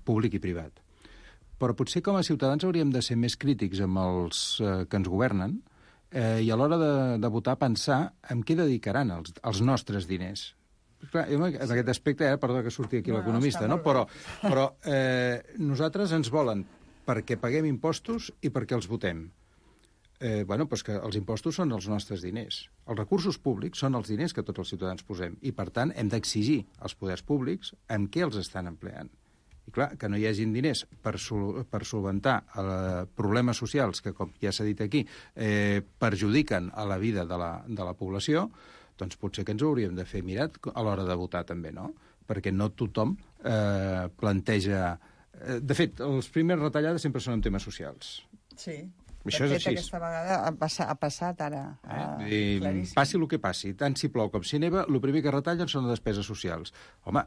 públic i privat. Però potser com a ciutadans hauríem de ser més crítics amb els que ens governen i a l'hora de votar pensar en què dedicaran els nostres diners. Clar, en aquest aspecte, perdó que surti aquí l'economista, no? Però nosaltres ens volen perquè paguem impostos i perquè els votem. Doncs que els impostos són els nostres diners. Els recursos públics són els diners que tots els ciutadans posem i, per tant, hem d'exigir als poders públics en què els estan empleant. I clar, que no hi hagin diners per solventar problemes socials que, com ja s'ha dit aquí, perjudiquen a la vida de la població, doncs potser que ens ho hauríem de fer mirat a l'hora de votar també, no? Perquè no tothom planteja... De fet, les primeres retallades sempre són en temes socials. Sí. Això és així. Aquesta vegada ha passat ara. Passi el que passi, tant si plou com si neva, el primer que retallen són les despeses socials. Home,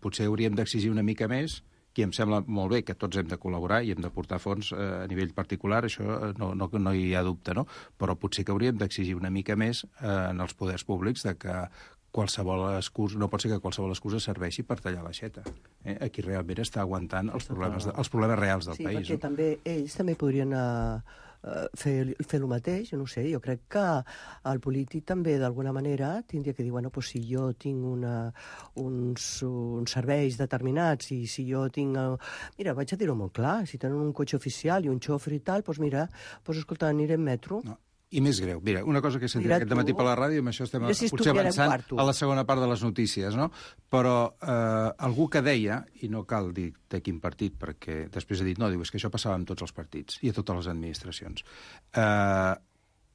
potser hauríem d'exigir una mica més, que em sembla molt bé que tots hem de col·laborar i hem de portar fons a nivell particular, això no hi ha dubte, no? Però potser que hauríem d'exigir una mica més en els poders públics de que qualsevol excusa, no pot ser que qualsevol excusa serveixi per tallar l'aixeta. Aquí realment està aguantant els problemes reals del país. Sí, perquè també ells també podrien fer el mateix, no sé, jo crec que el polític també d'alguna manera tindria que dir, bueno, pues si jo tinc uns serveis determinats i si jo tinc... Mira, vaig a dir-ho molt clar, si tenen un cotxe oficial i un xofer i tal, doncs mira, escolta, aniré en metro. No. I més greu, mira, una cosa que he sentit aquest dematí per la ràdio, i amb això estem potser avançant a la segona part de les notícies, no? Però algú que deia, i no cal dir de quin partit, perquè després ha dit, no, diu, és que això passava amb tots els partits i a totes les administracions,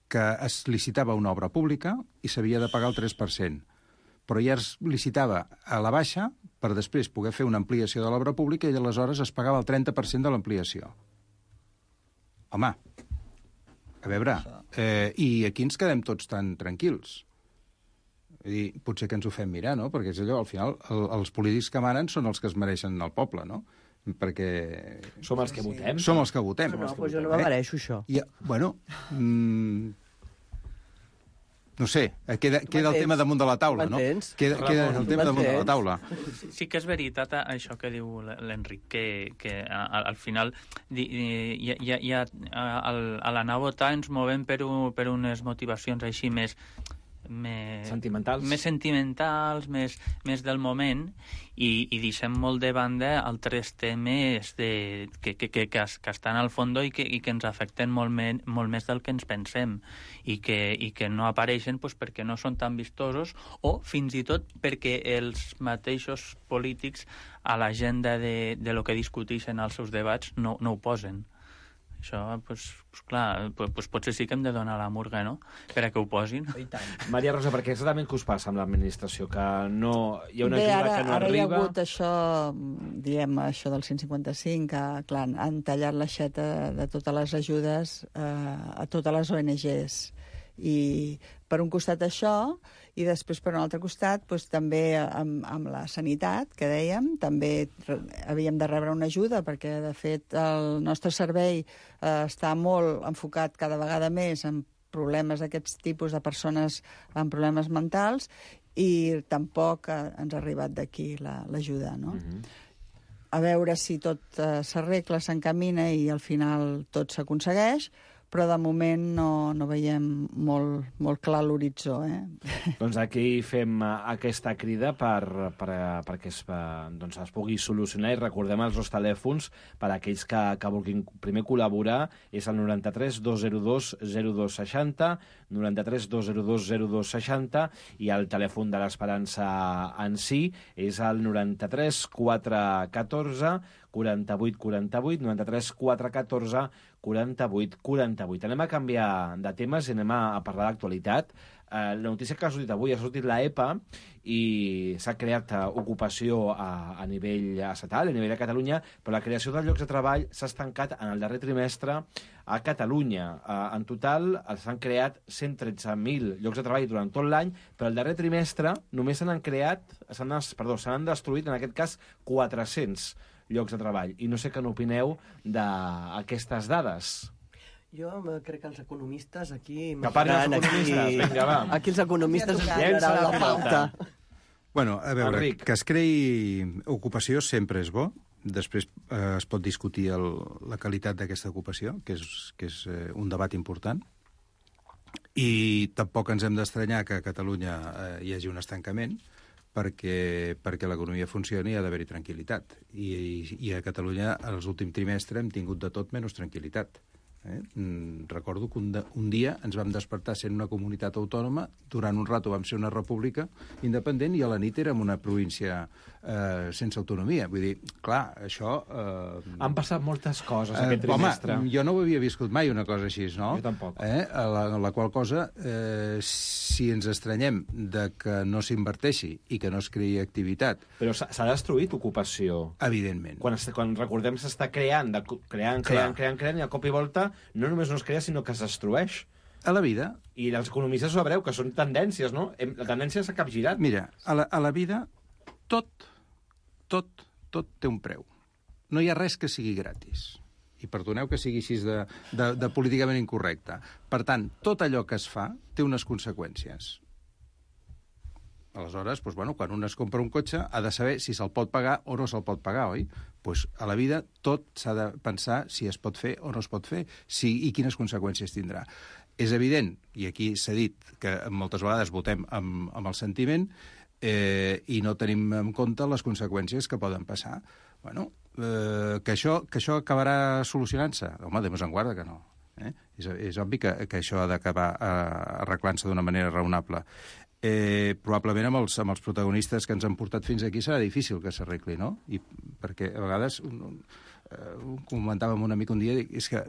que es licitava una obra pública i s'havia de pagar el 3%, però ja es licitava a la baixa per després poder fer una ampliació de l'obra pública i aleshores es pagava el 30% de l'ampliació. Home, a veure, i aquí ens quedem tots tan tranquils. Vull dir, potser que ens ho fem mirar, no? Perquè és allò, al final, els polítics que manen són els que es mereixen el poble, no? Perquè... Som els que votem. Som els que votem. No, doncs jo no me mereixo això. Bueno, no sé, queda el tema damunt de la taula, no? Queda el tema damunt de la taula. Sí que és veritat això que diu l'Enric, que al final a l'anar a votar ens movem per unes motivacions així més sentimentals, més del moment, i deixem molt de banda altres temes que estan al fons i que ens afecten molt més del que ens pensem i que no apareixen perquè no són tan vistosos o fins i tot perquè els mateixos polítics a l'agenda de lo que discuteixen als seus debats no ho posen. Això, clar, potser sí que hem de donar la murga, no?, per a que ho posin. Maria Rosa, perquè exactament què us passa amb l'administració? Que no hi ha una ajuda que no arriba? Ara hi ha hagut això, diem, això del 155, que, clar, han tallat l'aixeta de totes les ajudes a totes les ONGs. I per un costat això, i després per un altre costat també amb la sanitat, que dèiem, també havíem de rebre una ajuda perquè, de fet, el nostre servei està molt enfocat cada vegada més en problemes d'aquests tipus de persones amb problemes mentals i tampoc ens ha arribat d'aquí l'ajuda, no? A veure si tot s'arregla, s'encamina i al final tot s'aconsegueix, però de moment no veiem molt clar l'horitzó. Doncs aquí fem aquesta crida perquè es pugui solucionar i recordem els dos telèfons per a aquells que vulguin primer col·laborar. És el 93 202 0260, 93 202 0260 i el telèfon de l'Esperança en si és el 93 414 48 48, 93 414 48 48. Anem a canviar de temes i anem a parlar d'actualitat. La notícia que ha sortit avui, ha sortit l'EPA i s'ha creat ocupació a nivell estatal, a nivell de Catalunya, però la creació de llocs de treball s'ha estancat en el darrer trimestre a Catalunya. En total s'han creat 113.000 llocs de treball durant tot l'any, però el darrer trimestre només s'han destruït, en aquest cas, 400 llocs de treball. I no sé què n'opineu d'aquestes dades. Jo crec que els economistes aquí... Que parli els economistes, vinga, va. Aquí els economistes ens Llença donaran la la pilota. pauta. Bueno, a veure, Enric. que es creï ocupació sempre és bo. Després es pot discutir la qualitat d'aquesta ocupació, que és un debat important. I tampoc ens hem d'estranyar que a Catalunya hi hagi un estancament, perquè l'economia funcioni i ha d'haver-hi tranquil·litat. I a Catalunya, els últims trimestres, hem tingut de tot menys tranquil·litat. Recordo que un dia ens vam despertar sent una comunitat autònoma, durant un rato vam ser una república independent i a la nit érem una província sense autonomia. Vull dir, clar, això... Han passat moltes coses aquest trimestre. Home, jo no ho havia viscut mai, una cosa així, no? Jo tampoc. La qual cosa, si ens estranyem de que no s'inverteixi i que no es creï activitat... Però s'ha destruït ocupació. Evidentment. Quan recordem s'està creant, i a cop i volta no només no es crea, sinó que es destrueix. A la vida... I els economistes ho sabreu, que són tendències, no? La tendència s'ha capgirat. Mira, a la vida tot té un preu. No hi ha res que sigui gratis. I perdoneu que sigui així de políticament incorrecte. Per tant, tot allò que es fa té unes conseqüències. Aleshores, doncs, bueno, quan un es compra un cotxe ha de saber si se'l pot pagar o no se'l pot pagar, oi? Doncs a la vida tot s'ha de pensar si es pot fer o no es pot fer i quines conseqüències tindrà. És evident, i aquí s'ha dit que moltes vegades votem amb el sentiment i no tenim en compte les conseqüències que poden passar. Bueno, que això acabarà solucionant-se? Home, Déu en guarda que no. És obvi que això ha d'acabar arreglant-se d'una manera raonable. Probablement amb els protagonistes que ens han portat fins aquí serà difícil que s'arregli, no? Perquè a vegades comentàvem un amic un dia, és que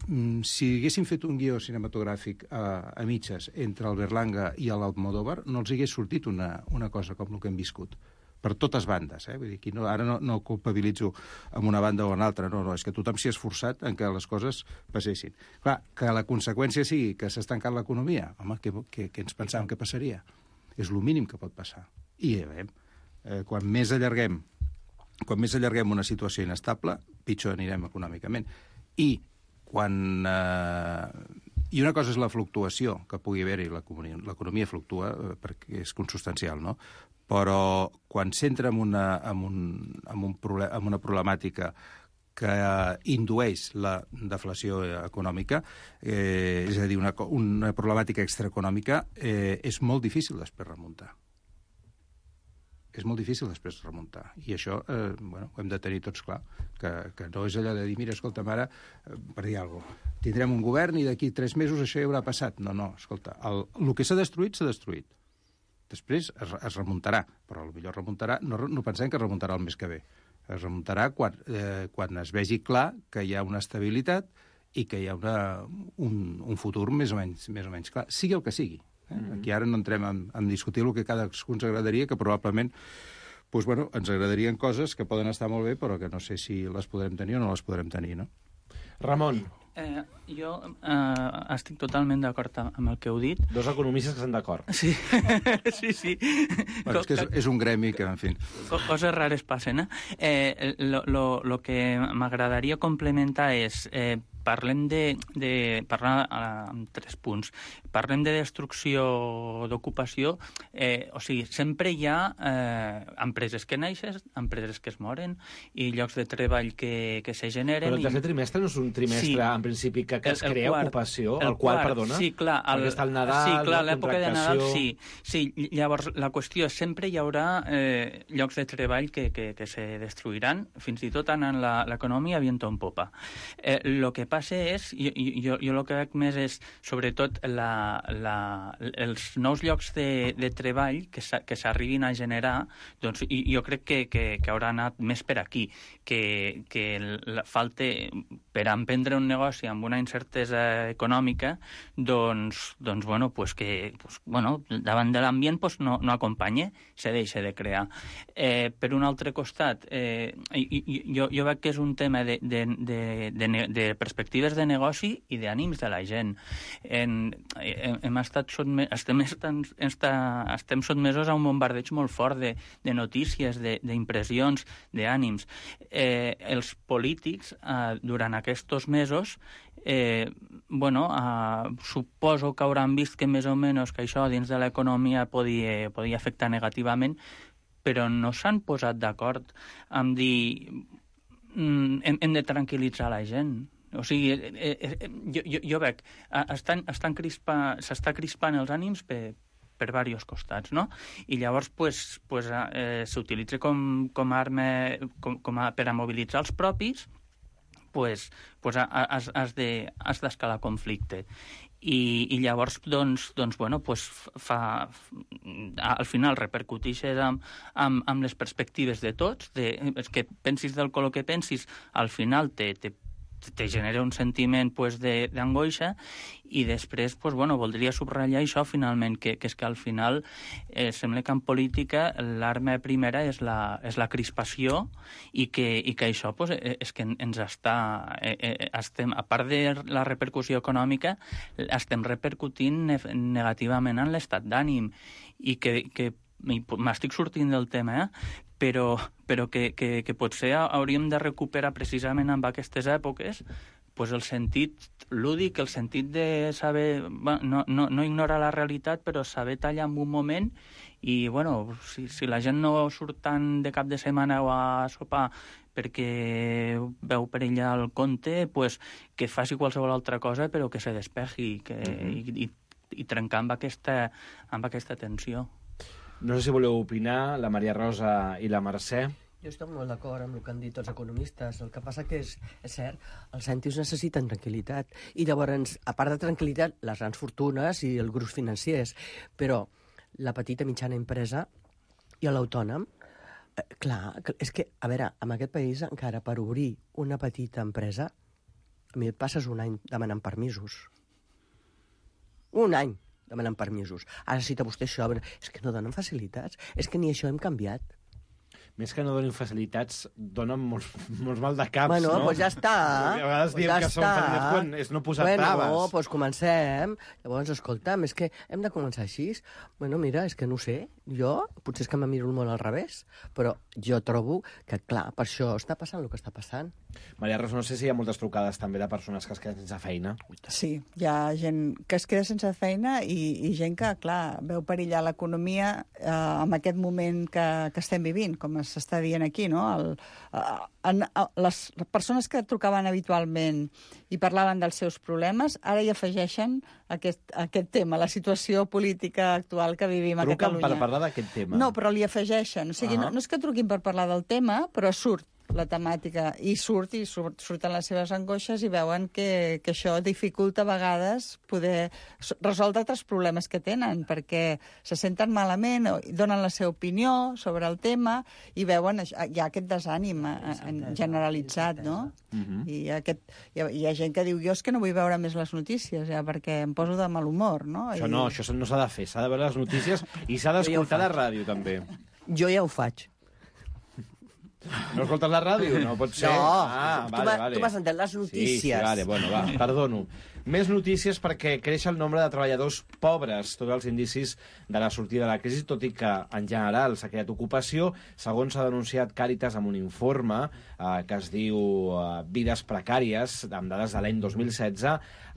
si haguéssim fet un guió cinematogràfic a mitges entre el Berlanga i l'Almodóvar no els hagués sortit una cosa com el que hem viscut per totes bandes, Vull dir, aquí ara no culpabilitzo amb una banda o una altra, no, és que tothom s'hi ha esforçat en que les coses passessin. Clar, que la conseqüència sigui que s'ha estancat l'economia, home, què ens pensàvem que passaria? És el mínim que pot passar. I ja veiem, quan més allarguem una situació inestable, pitjor anirem econòmicament. I una cosa és la fluctuació que pugui haver-hi, l'economia fluctua perquè és consubstancial, no? Però quan s'entra en una problemàtica que indueix la deflació econòmica, és a dir, una problemàtica extraeconòmica, és molt difícil després remuntar. És molt difícil després remuntar. I això ho hem de tenir tots clar, que no és allò de dir, mira, escolta'm, ara, per dir alguna cosa, tindrem un govern i d'aquí 3 mesos això ja haurà passat. No, escolta, el que s'ha destruït, s'ha destruït. Després es remuntarà, però potser remuntarà, no pensem que remuntarà el mes que ve. Es remuntarà quan es vegi clar que hi ha una estabilitat i que hi ha un futur més o menys clar, sigui el que sigui. Aquí ara no entrem en discutir el que cadascú ens agradaria, que probablement ens agradarien coses que poden estar molt bé, però que no sé si les podrem tenir o no les podrem tenir, no? Ramon. Jo estic totalment d'acord amb el que heu dit. Dos economistes que estan d'acord. Sí, sí. Bueno, és que és un gremi que, en fi... Coses rares passen, Lo que m'agradaria complementar és... Parlem parlar en 3 punts. Parlem de destrucció d'ocupació, o sigui, sempre hi ha empreses que neixen, empreses que es moren i llocs de treball que se generen. Però el tercer trimestre no és un trimestre, en principi, que es crea ocupació, el qual, perdona, sí, clar, perquè està el Nadal, sí, clar, la l'època de Nadal, contractació... sí. Llavors, la qüestió és sempre hi haurà llocs de treball que se destruiran, fins i tot anant l'economia viento en popa. El que passa passa és, jo el que veig més és, sobretot, els nous llocs de treball que s'arribin a generar, doncs jo crec que haurà anat més per aquí, que falta, per emprendre un negoci amb una incertesa econòmica, doncs bueno, davant de l'ambient no acompanya, se deixa de crear. Per un altre costat, jo veig que és un tema de perspectives de negoci i d'ànims de la gent. Estem sotmesos a un bombardeig molt fort de notícies, d'impressions, d'ànims. Els polítics, durant aquests mesos, suposo que hauran vist que més o menys que això dins de l'economia podia afectar negativament, però no s'han posat d'acord amb dir hem de tranquil·litzar la gent. O sigui, jo veig, s'està crispant els ànims per diversos costats, no? I llavors s'utilitza com a arma per a mobilitzar els propis, has d'escalar conflicte. I llavors, al final repercuteixes amb les perspectives de tots, és que pensis del color que pensis, al final te genera un sentiment d'angoixa, i després voldria subratllar això finalment, que és que al final sembla que en política l'arma primera és la crispació, i que això és que ens estem, a part de la repercussió econòmica, estem repercutint negativament en l'estat d'ànim, i que m'estic sortint del tema, però que potser hauríem de recuperar precisament en aquestes èpoques el sentit lúdic, el sentit de saber, no ignorar la realitat, però saber tallar en un moment, i si la gent no surt tant de cap de setmana o a sopar perquè veu perillar el compte, que faci qualsevol altra cosa, però que se despegi i trencar amb aquesta tensió. No sé si voleu opinar, la Maria Rosa i la Mercè. Jo estic molt d'acord amb el que han dit els economistes. El que passa que és cert, els cèntims necessiten tranquil·litat. I llavors, a part de tranquil·litat, les grans fortunes i els grups financers. Però la petita mitjana empresa i l'autònom, clar, és que, a veure, en aquest país encara per obrir una petita empresa, a mi et passes un any demanant permisos. Un any demanant permisos. Ara cita vostè això, és que no donen facilitats, és que ni això hem canviat. Més que no donin facilitats, donen molts mal de caps, no? Bueno, ja està. A vegades diem que són facilitats quan és no posar traves. Doncs comencem. Llavors, escolta'm, és que hem de començar així. Mira, és que no sé. Jo, potser és que me miro molt al revés, però jo trobo que, clar, per això està passant el que està passant. Maria Rosa, no sé si hi ha moltes trucades també de persones que es queden sense feina. Sí, hi ha gent que es queda sense feina i gent que, clar, veu perillar l'economia en aquest moment que estem vivint, com s'està dient aquí, no? Les persones que trucaven habitualment i parlaven dels seus problemes, ara hi afegeixen aquest tema, la situació política actual que vivim a Catalunya. Truquen per parlar d'aquest tema? No, però li afegeixen. O sigui, no és que truquin per parlar del tema, però surt la temàtica, i surten les seves angoixes i veuen que això dificulta a vegades poder resoldre altres problemes que tenen, perquè se senten malament, donen la seva opinió sobre el tema i veuen hi ha aquest desànim generalitzat, no? I hi ha gent que diu, jo és que no vull veure més les notícies, perquè em poso de mal humor, no? Això no s'ha de fer, s'ha de veure les notícies i s'ha d'escoltar la ràdio, també. Jo ja ho faig. No escoltes la ràdio? No pot ser. No, tu m'has entès les notícies. Sí, vale, bueno, va, perdono. Més notícies perquè creix el nombre de treballadors pobres, tots els indicis de la sortida de la crisi, tot i que en general s'ha creat ocupació. Segons s'ha denunciat Càritas amb un informe que es diu Vides precàries, amb dades de l'any 2016,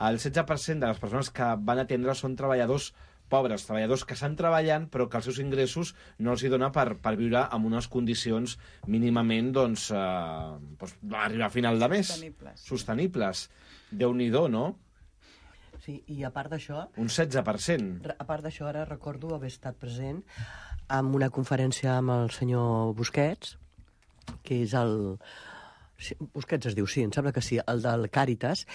el 16% de les persones que van atendre són treballadors pobres, treballadors que estan treballant però que els seus ingressos no els hi dona per viure en unes condicions mínimament arribar a final de mes. Sostenibles. Déu-n'hi-do, no? Sí, i a part d'això... Un 16%. A part d'això, ara recordo haver estat present en una conferència amb el senyor Busquets, que és el Sí, Busquets es diu, sí, em sembla que sí, el del Càritas,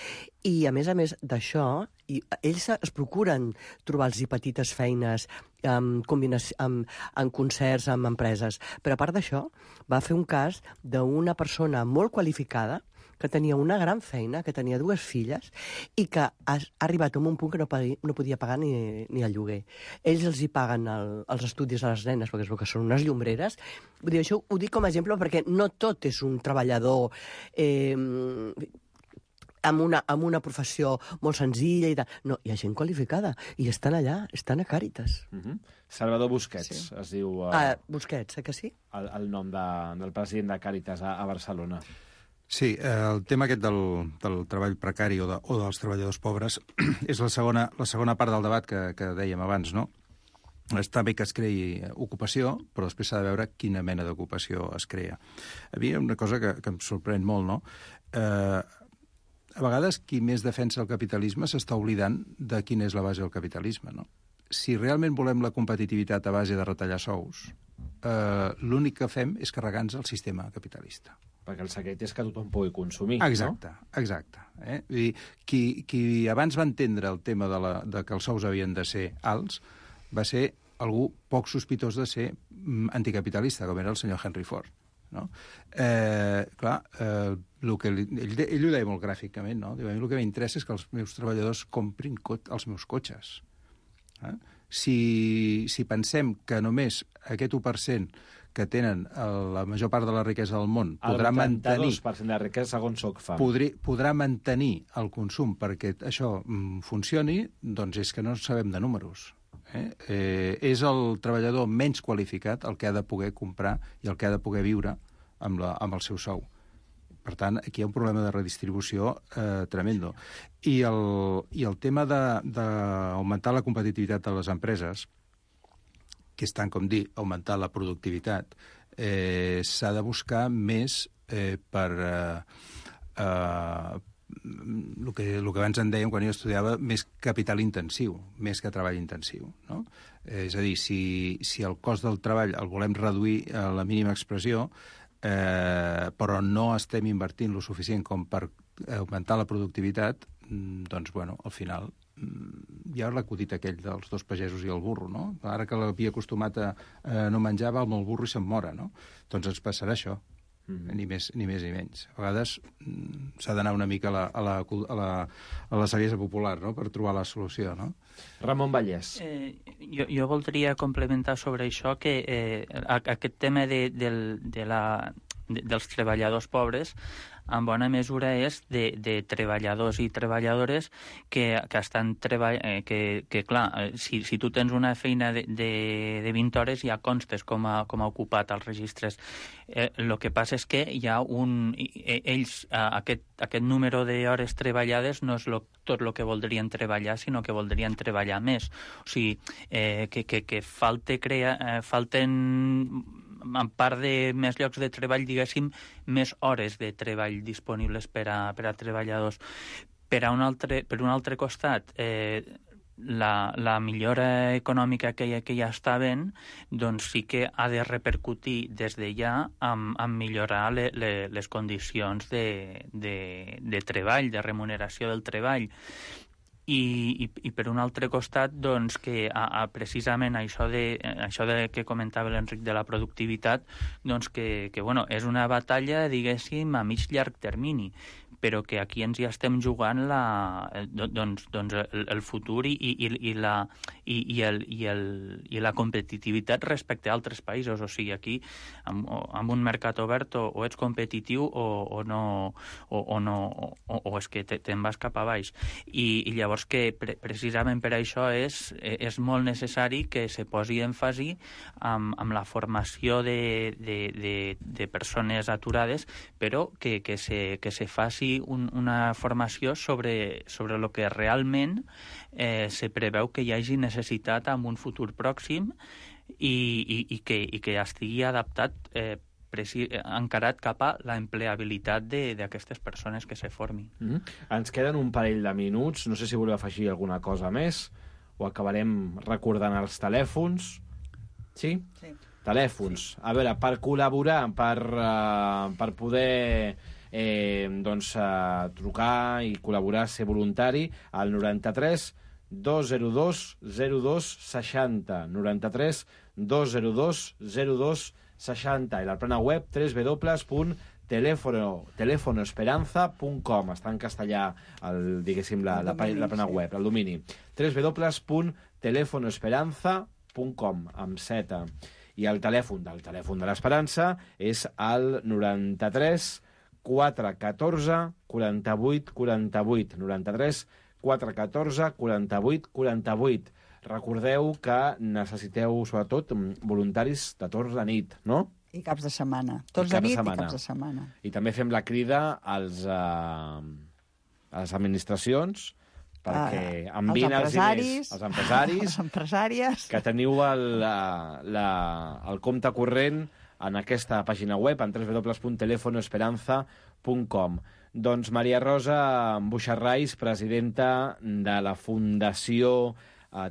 i a més d'això, ells es procuren trobar-los petites feines en concerts, amb empreses. Però a part d'això, va fer un cas d'una persona molt qualificada que tenia una gran feina, que tenia 2 filles i que ha arribat a un punt que no podia pagar ni el lloguer. Ells els hi paguen els estudis a les nenes, perquè es veu que són unes llombreres. Vull dir, això ho dic com a exemple perquè no tot és un treballador amb una professió molt senzilla i tal. No, hi ha gent qualificada i estan allà, estan a Càritas. Salvador Busquets, es diu... Busquets, que sí? El nom del president de Càritas a Barcelona. Sí, el tema aquest del treball precari o dels treballadors pobres és la segona part del debat que dèiem abans, no? Està bé que es creï ocupació, però després s'ha de veure quina mena d'ocupació es crea. A mi una cosa que em sorprèn molt, no? A vegades qui més defensa el capitalisme s'està oblidant de quina és la base del capitalisme, no? Si realment volem la competitivitat a base de retallar sous, l'únic que fem és carregar-nos el sistema capitalista. Perquè el secret és que tothom pugui consumir, exacte, no? Exacte. Vull dir, qui abans va entendre el tema de que els sous havien de ser alts va ser algú poc sospitós de ser anticapitalista, com era el senyor Henry Ford. No? Clar, ell ho deia molt gràficament, no? Diu, a mi el que m'interessa és que els meus treballadors comprin els meus cotxes. Si pensem que només aquest 1% que tenen la major part de la riquesa del món podrà mantenir... El 82% de la riquesa, segons Oxfam. Podrà mantenir el consum perquè això funcioni, doncs és que no sabem de números. És el treballador menys qualificat el que ha de poder comprar i el que ha de poder viure amb el seu sou. Per tant, aquí hi ha un problema de redistribució tremendo. I el tema d'augmentar la competitivitat de les empreses, que és tant com dir augmentar la productivitat, s'ha de buscar més per el que abans en dèiem quan jo estudiava, més capital intensiu, més que treball intensiu. No? És a dir, si el cost del treball el volem reduir a la mínima expressió, però no estem invertint lo suficient com per augmentar la productivitat, doncs, bueno, al final hi ha l'acudit aquell dels 2 pagesos i el burro, no? Ara que l'havia acostumat a no menjar, va amb el burro i se'n mora, no? Doncs ens passarà això, ni més ni menys. A vegades s'ha d'anar una mica a la saviesa popular, no?, per trobar la solució, no? Ramon Vallès. Jo voldria complementar sobre això que aquest tema dels treballadors pobres en bona mesura és de treballadors i treballadores que estan treballant... Que clar, si tu tens una feina de 20 hores ja constes com a ocupat als registres. El que passa és que hi ha aquest número d'hores treballades no és tot el que voldrien treballar, sinó que voldrien treballar més. O sigui, que falten en part de més llocs de treball, diguéssim, més hores de treball disponibles per a treballadors. Per un altre costat, la millora econòmica que ja està havent, doncs sí que ha de repercutir des de ja en millorar les condicions de treball, de remuneració del treball. I per un altre costat, doncs, que precisament això que comentava l'Enric de la productivitat, doncs que bueno, és una batalla, diguéssim, a mig llarg termini, però que aquí ens hi estem jugant el futur i la competitivitat respecte a altres països. O sigui, aquí, amb un mercat obert, o ets competitiu o no, o és que te'n vas cap a baix. I llavors que precisament per això és molt necessari que se posi èmfasi amb la formació de persones aturades, però que se faci una formació sobre el que realment se preveu que hi hagi necessitat en un futur pròxim i que estigui adaptat encarat cap a l'empleabilitat d'aquestes persones que se formin. Ens queden un parell de minuts. No sé si voleu afegir alguna cosa més o acabarem recordant els telèfons. Sí? Sí. Telèfons. A veure, per col·laborar, per poder trucar i col·laborar, ser voluntari al 93 202 02 60, 93 202 02 60, i la plana web www.telefonoesperanza.com. Està en castellà, la plana web, el domini. www.telefonoesperanza.com, amb Z. I el telèfon de l'Esperança és el 93 414 48 48, 93 414 48 48. Recordeu que necessiteu, sobretot, voluntaris de torns de nit, no? I caps de setmana. Torns de nit i caps de setmana. I també fem la crida a les administracions perquè envien els diners als empresaris, les empresàries, que teniu el compte corrent en aquesta pàgina web, en www.telefonoesperanza.com. Doncs Maria Rosa Buixarrais, presidenta de la Fundació,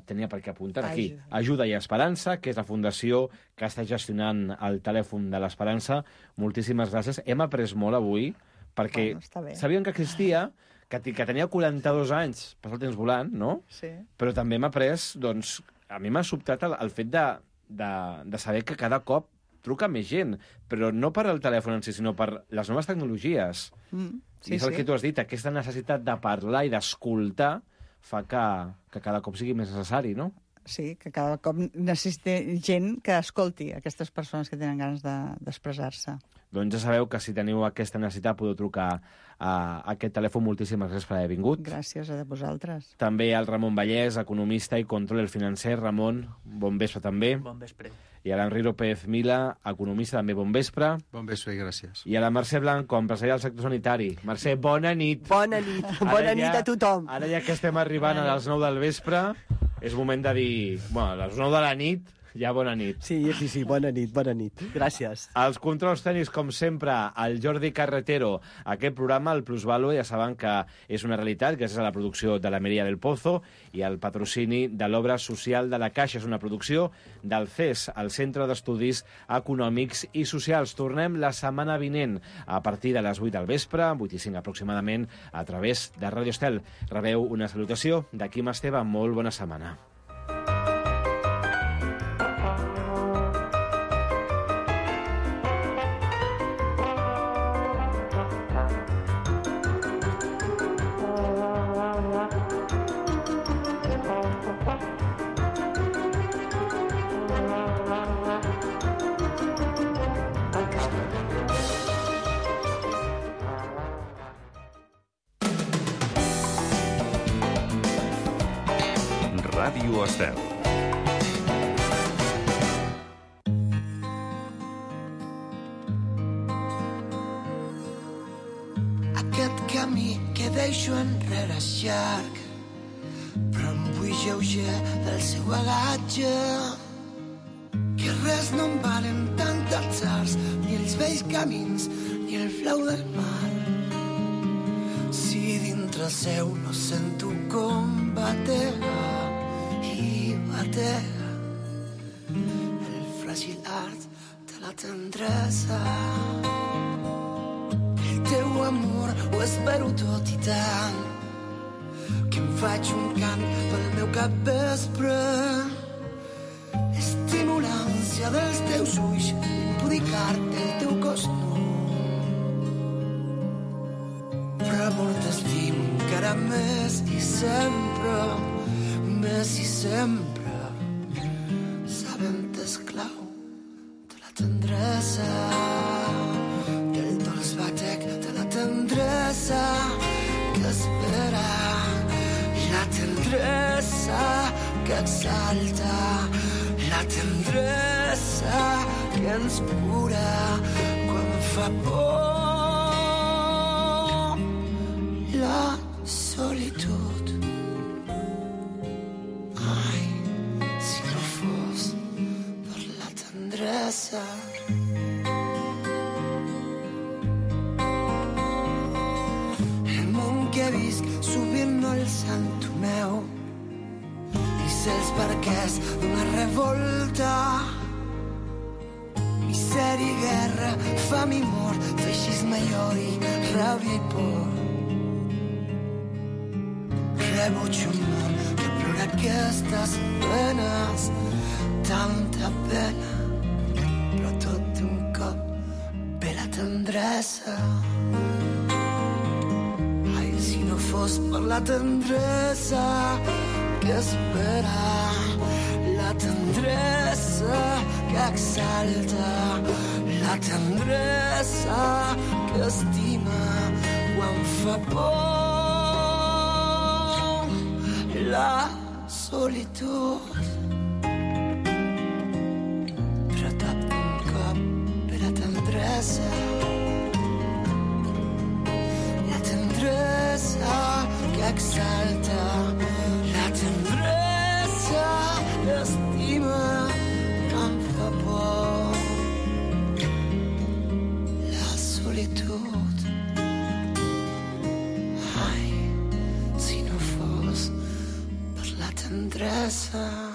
tenia per què apuntar aquí, Ajuda i Esperança, que és la fundació que està gestionant el telèfon de l'Esperança. Moltíssimes gràcies. Hem après molt avui, perquè sabíem que existia, que tenia 42 anys, passa el temps volant, no? Sí. Però també hem après, doncs, a mi m'ha sobtat el fet de saber que cada cop truca més gent, però no per al telèfon en si, sinó per les noves tecnologies. I és el que tu has dit, aquesta necessitat de parlar i d'escoltar fa que cada cop sigui més necessari, no? Sí, que cada cop necessita gent que escolti aquestes persones que tenen ganes d'expressar-se. Doncs ja sabeu que si teniu aquesta necessitat podeu trucar a aquest telèfon. Moltíssimes gràcies per haver vingut. Gràcies a vosaltres. També al Ramon Vallès, economista i controller financer. Ramon, bon vespre també. Bon vespre. I a l'Enri López Mila, economista, també bon vespre. Bon vespre i gràcies. I a la Mercè Blanco, empresària del sector sanitari. Mercè, bona nit. Bona nit. Bona nit a tothom. Ara ja que estem arribant a les 9 del vespre, és moment de dir... Bueno, a les 9 de la nit, ja bona nit. Sí, bona nit. Gràcies. Els controls tècnics, com sempre, el Jordi Carretero. Aquest programa, el Plusvalue, ja saben que és una realitat gràcies a la producció de la Mireia del Pozo i el patrocini de l'Obra Social de la Caixa. És una producció del CES, el Centre d'Estudis Econòmics i Socials. Tornem la setmana vinent a partir de les 8 del vespre, 8:05 aproximadament, a través de Radio Estel. Rebeu una salutació de Quim Esteve. Molt bona setmana. Ràdio Estel. Aquest camí que deixo enrere és llarg, però em vull lleuger del seu bagatge. Que res no em valen tant els arts, ni els vells camins, ni el flau del mar. Si dintre seu no sento com batega i batega el fràgil art de la tendresa. El teu amor ho espero tot i tant, que em faig un cant pel meu capvespre. Estimo l'ànsia dels teus ulls, impudicar-te el teu cos nu. Però amor t'estimo encara més i sempre, sabent esclau de la tendresa, del dolç batec de la tendresa que espera, la tendresa que exalta, la tendresa que ens cura quan fa por la solitud. Ai, si no fos per la tendresa. El món que visc sovint no el sento meu, i sé els perquès d'una revolta, i sé misèria i guerra, fam i mort, feixisme i odi, ràbia i por. Rebuig un món que plora aquestes penes, tanta pena, però tot d'un cop ve la tendresa. Ai, si no fos per la tendresa que espera, la tendresa que exalta, la tendresa que estima quan fa por. La solitud, però tot d'un cop ve la tendresa. La tendresa que exalta, la tendresa que estima quan fa por. La solitud, ai, si no fos per la tendresa.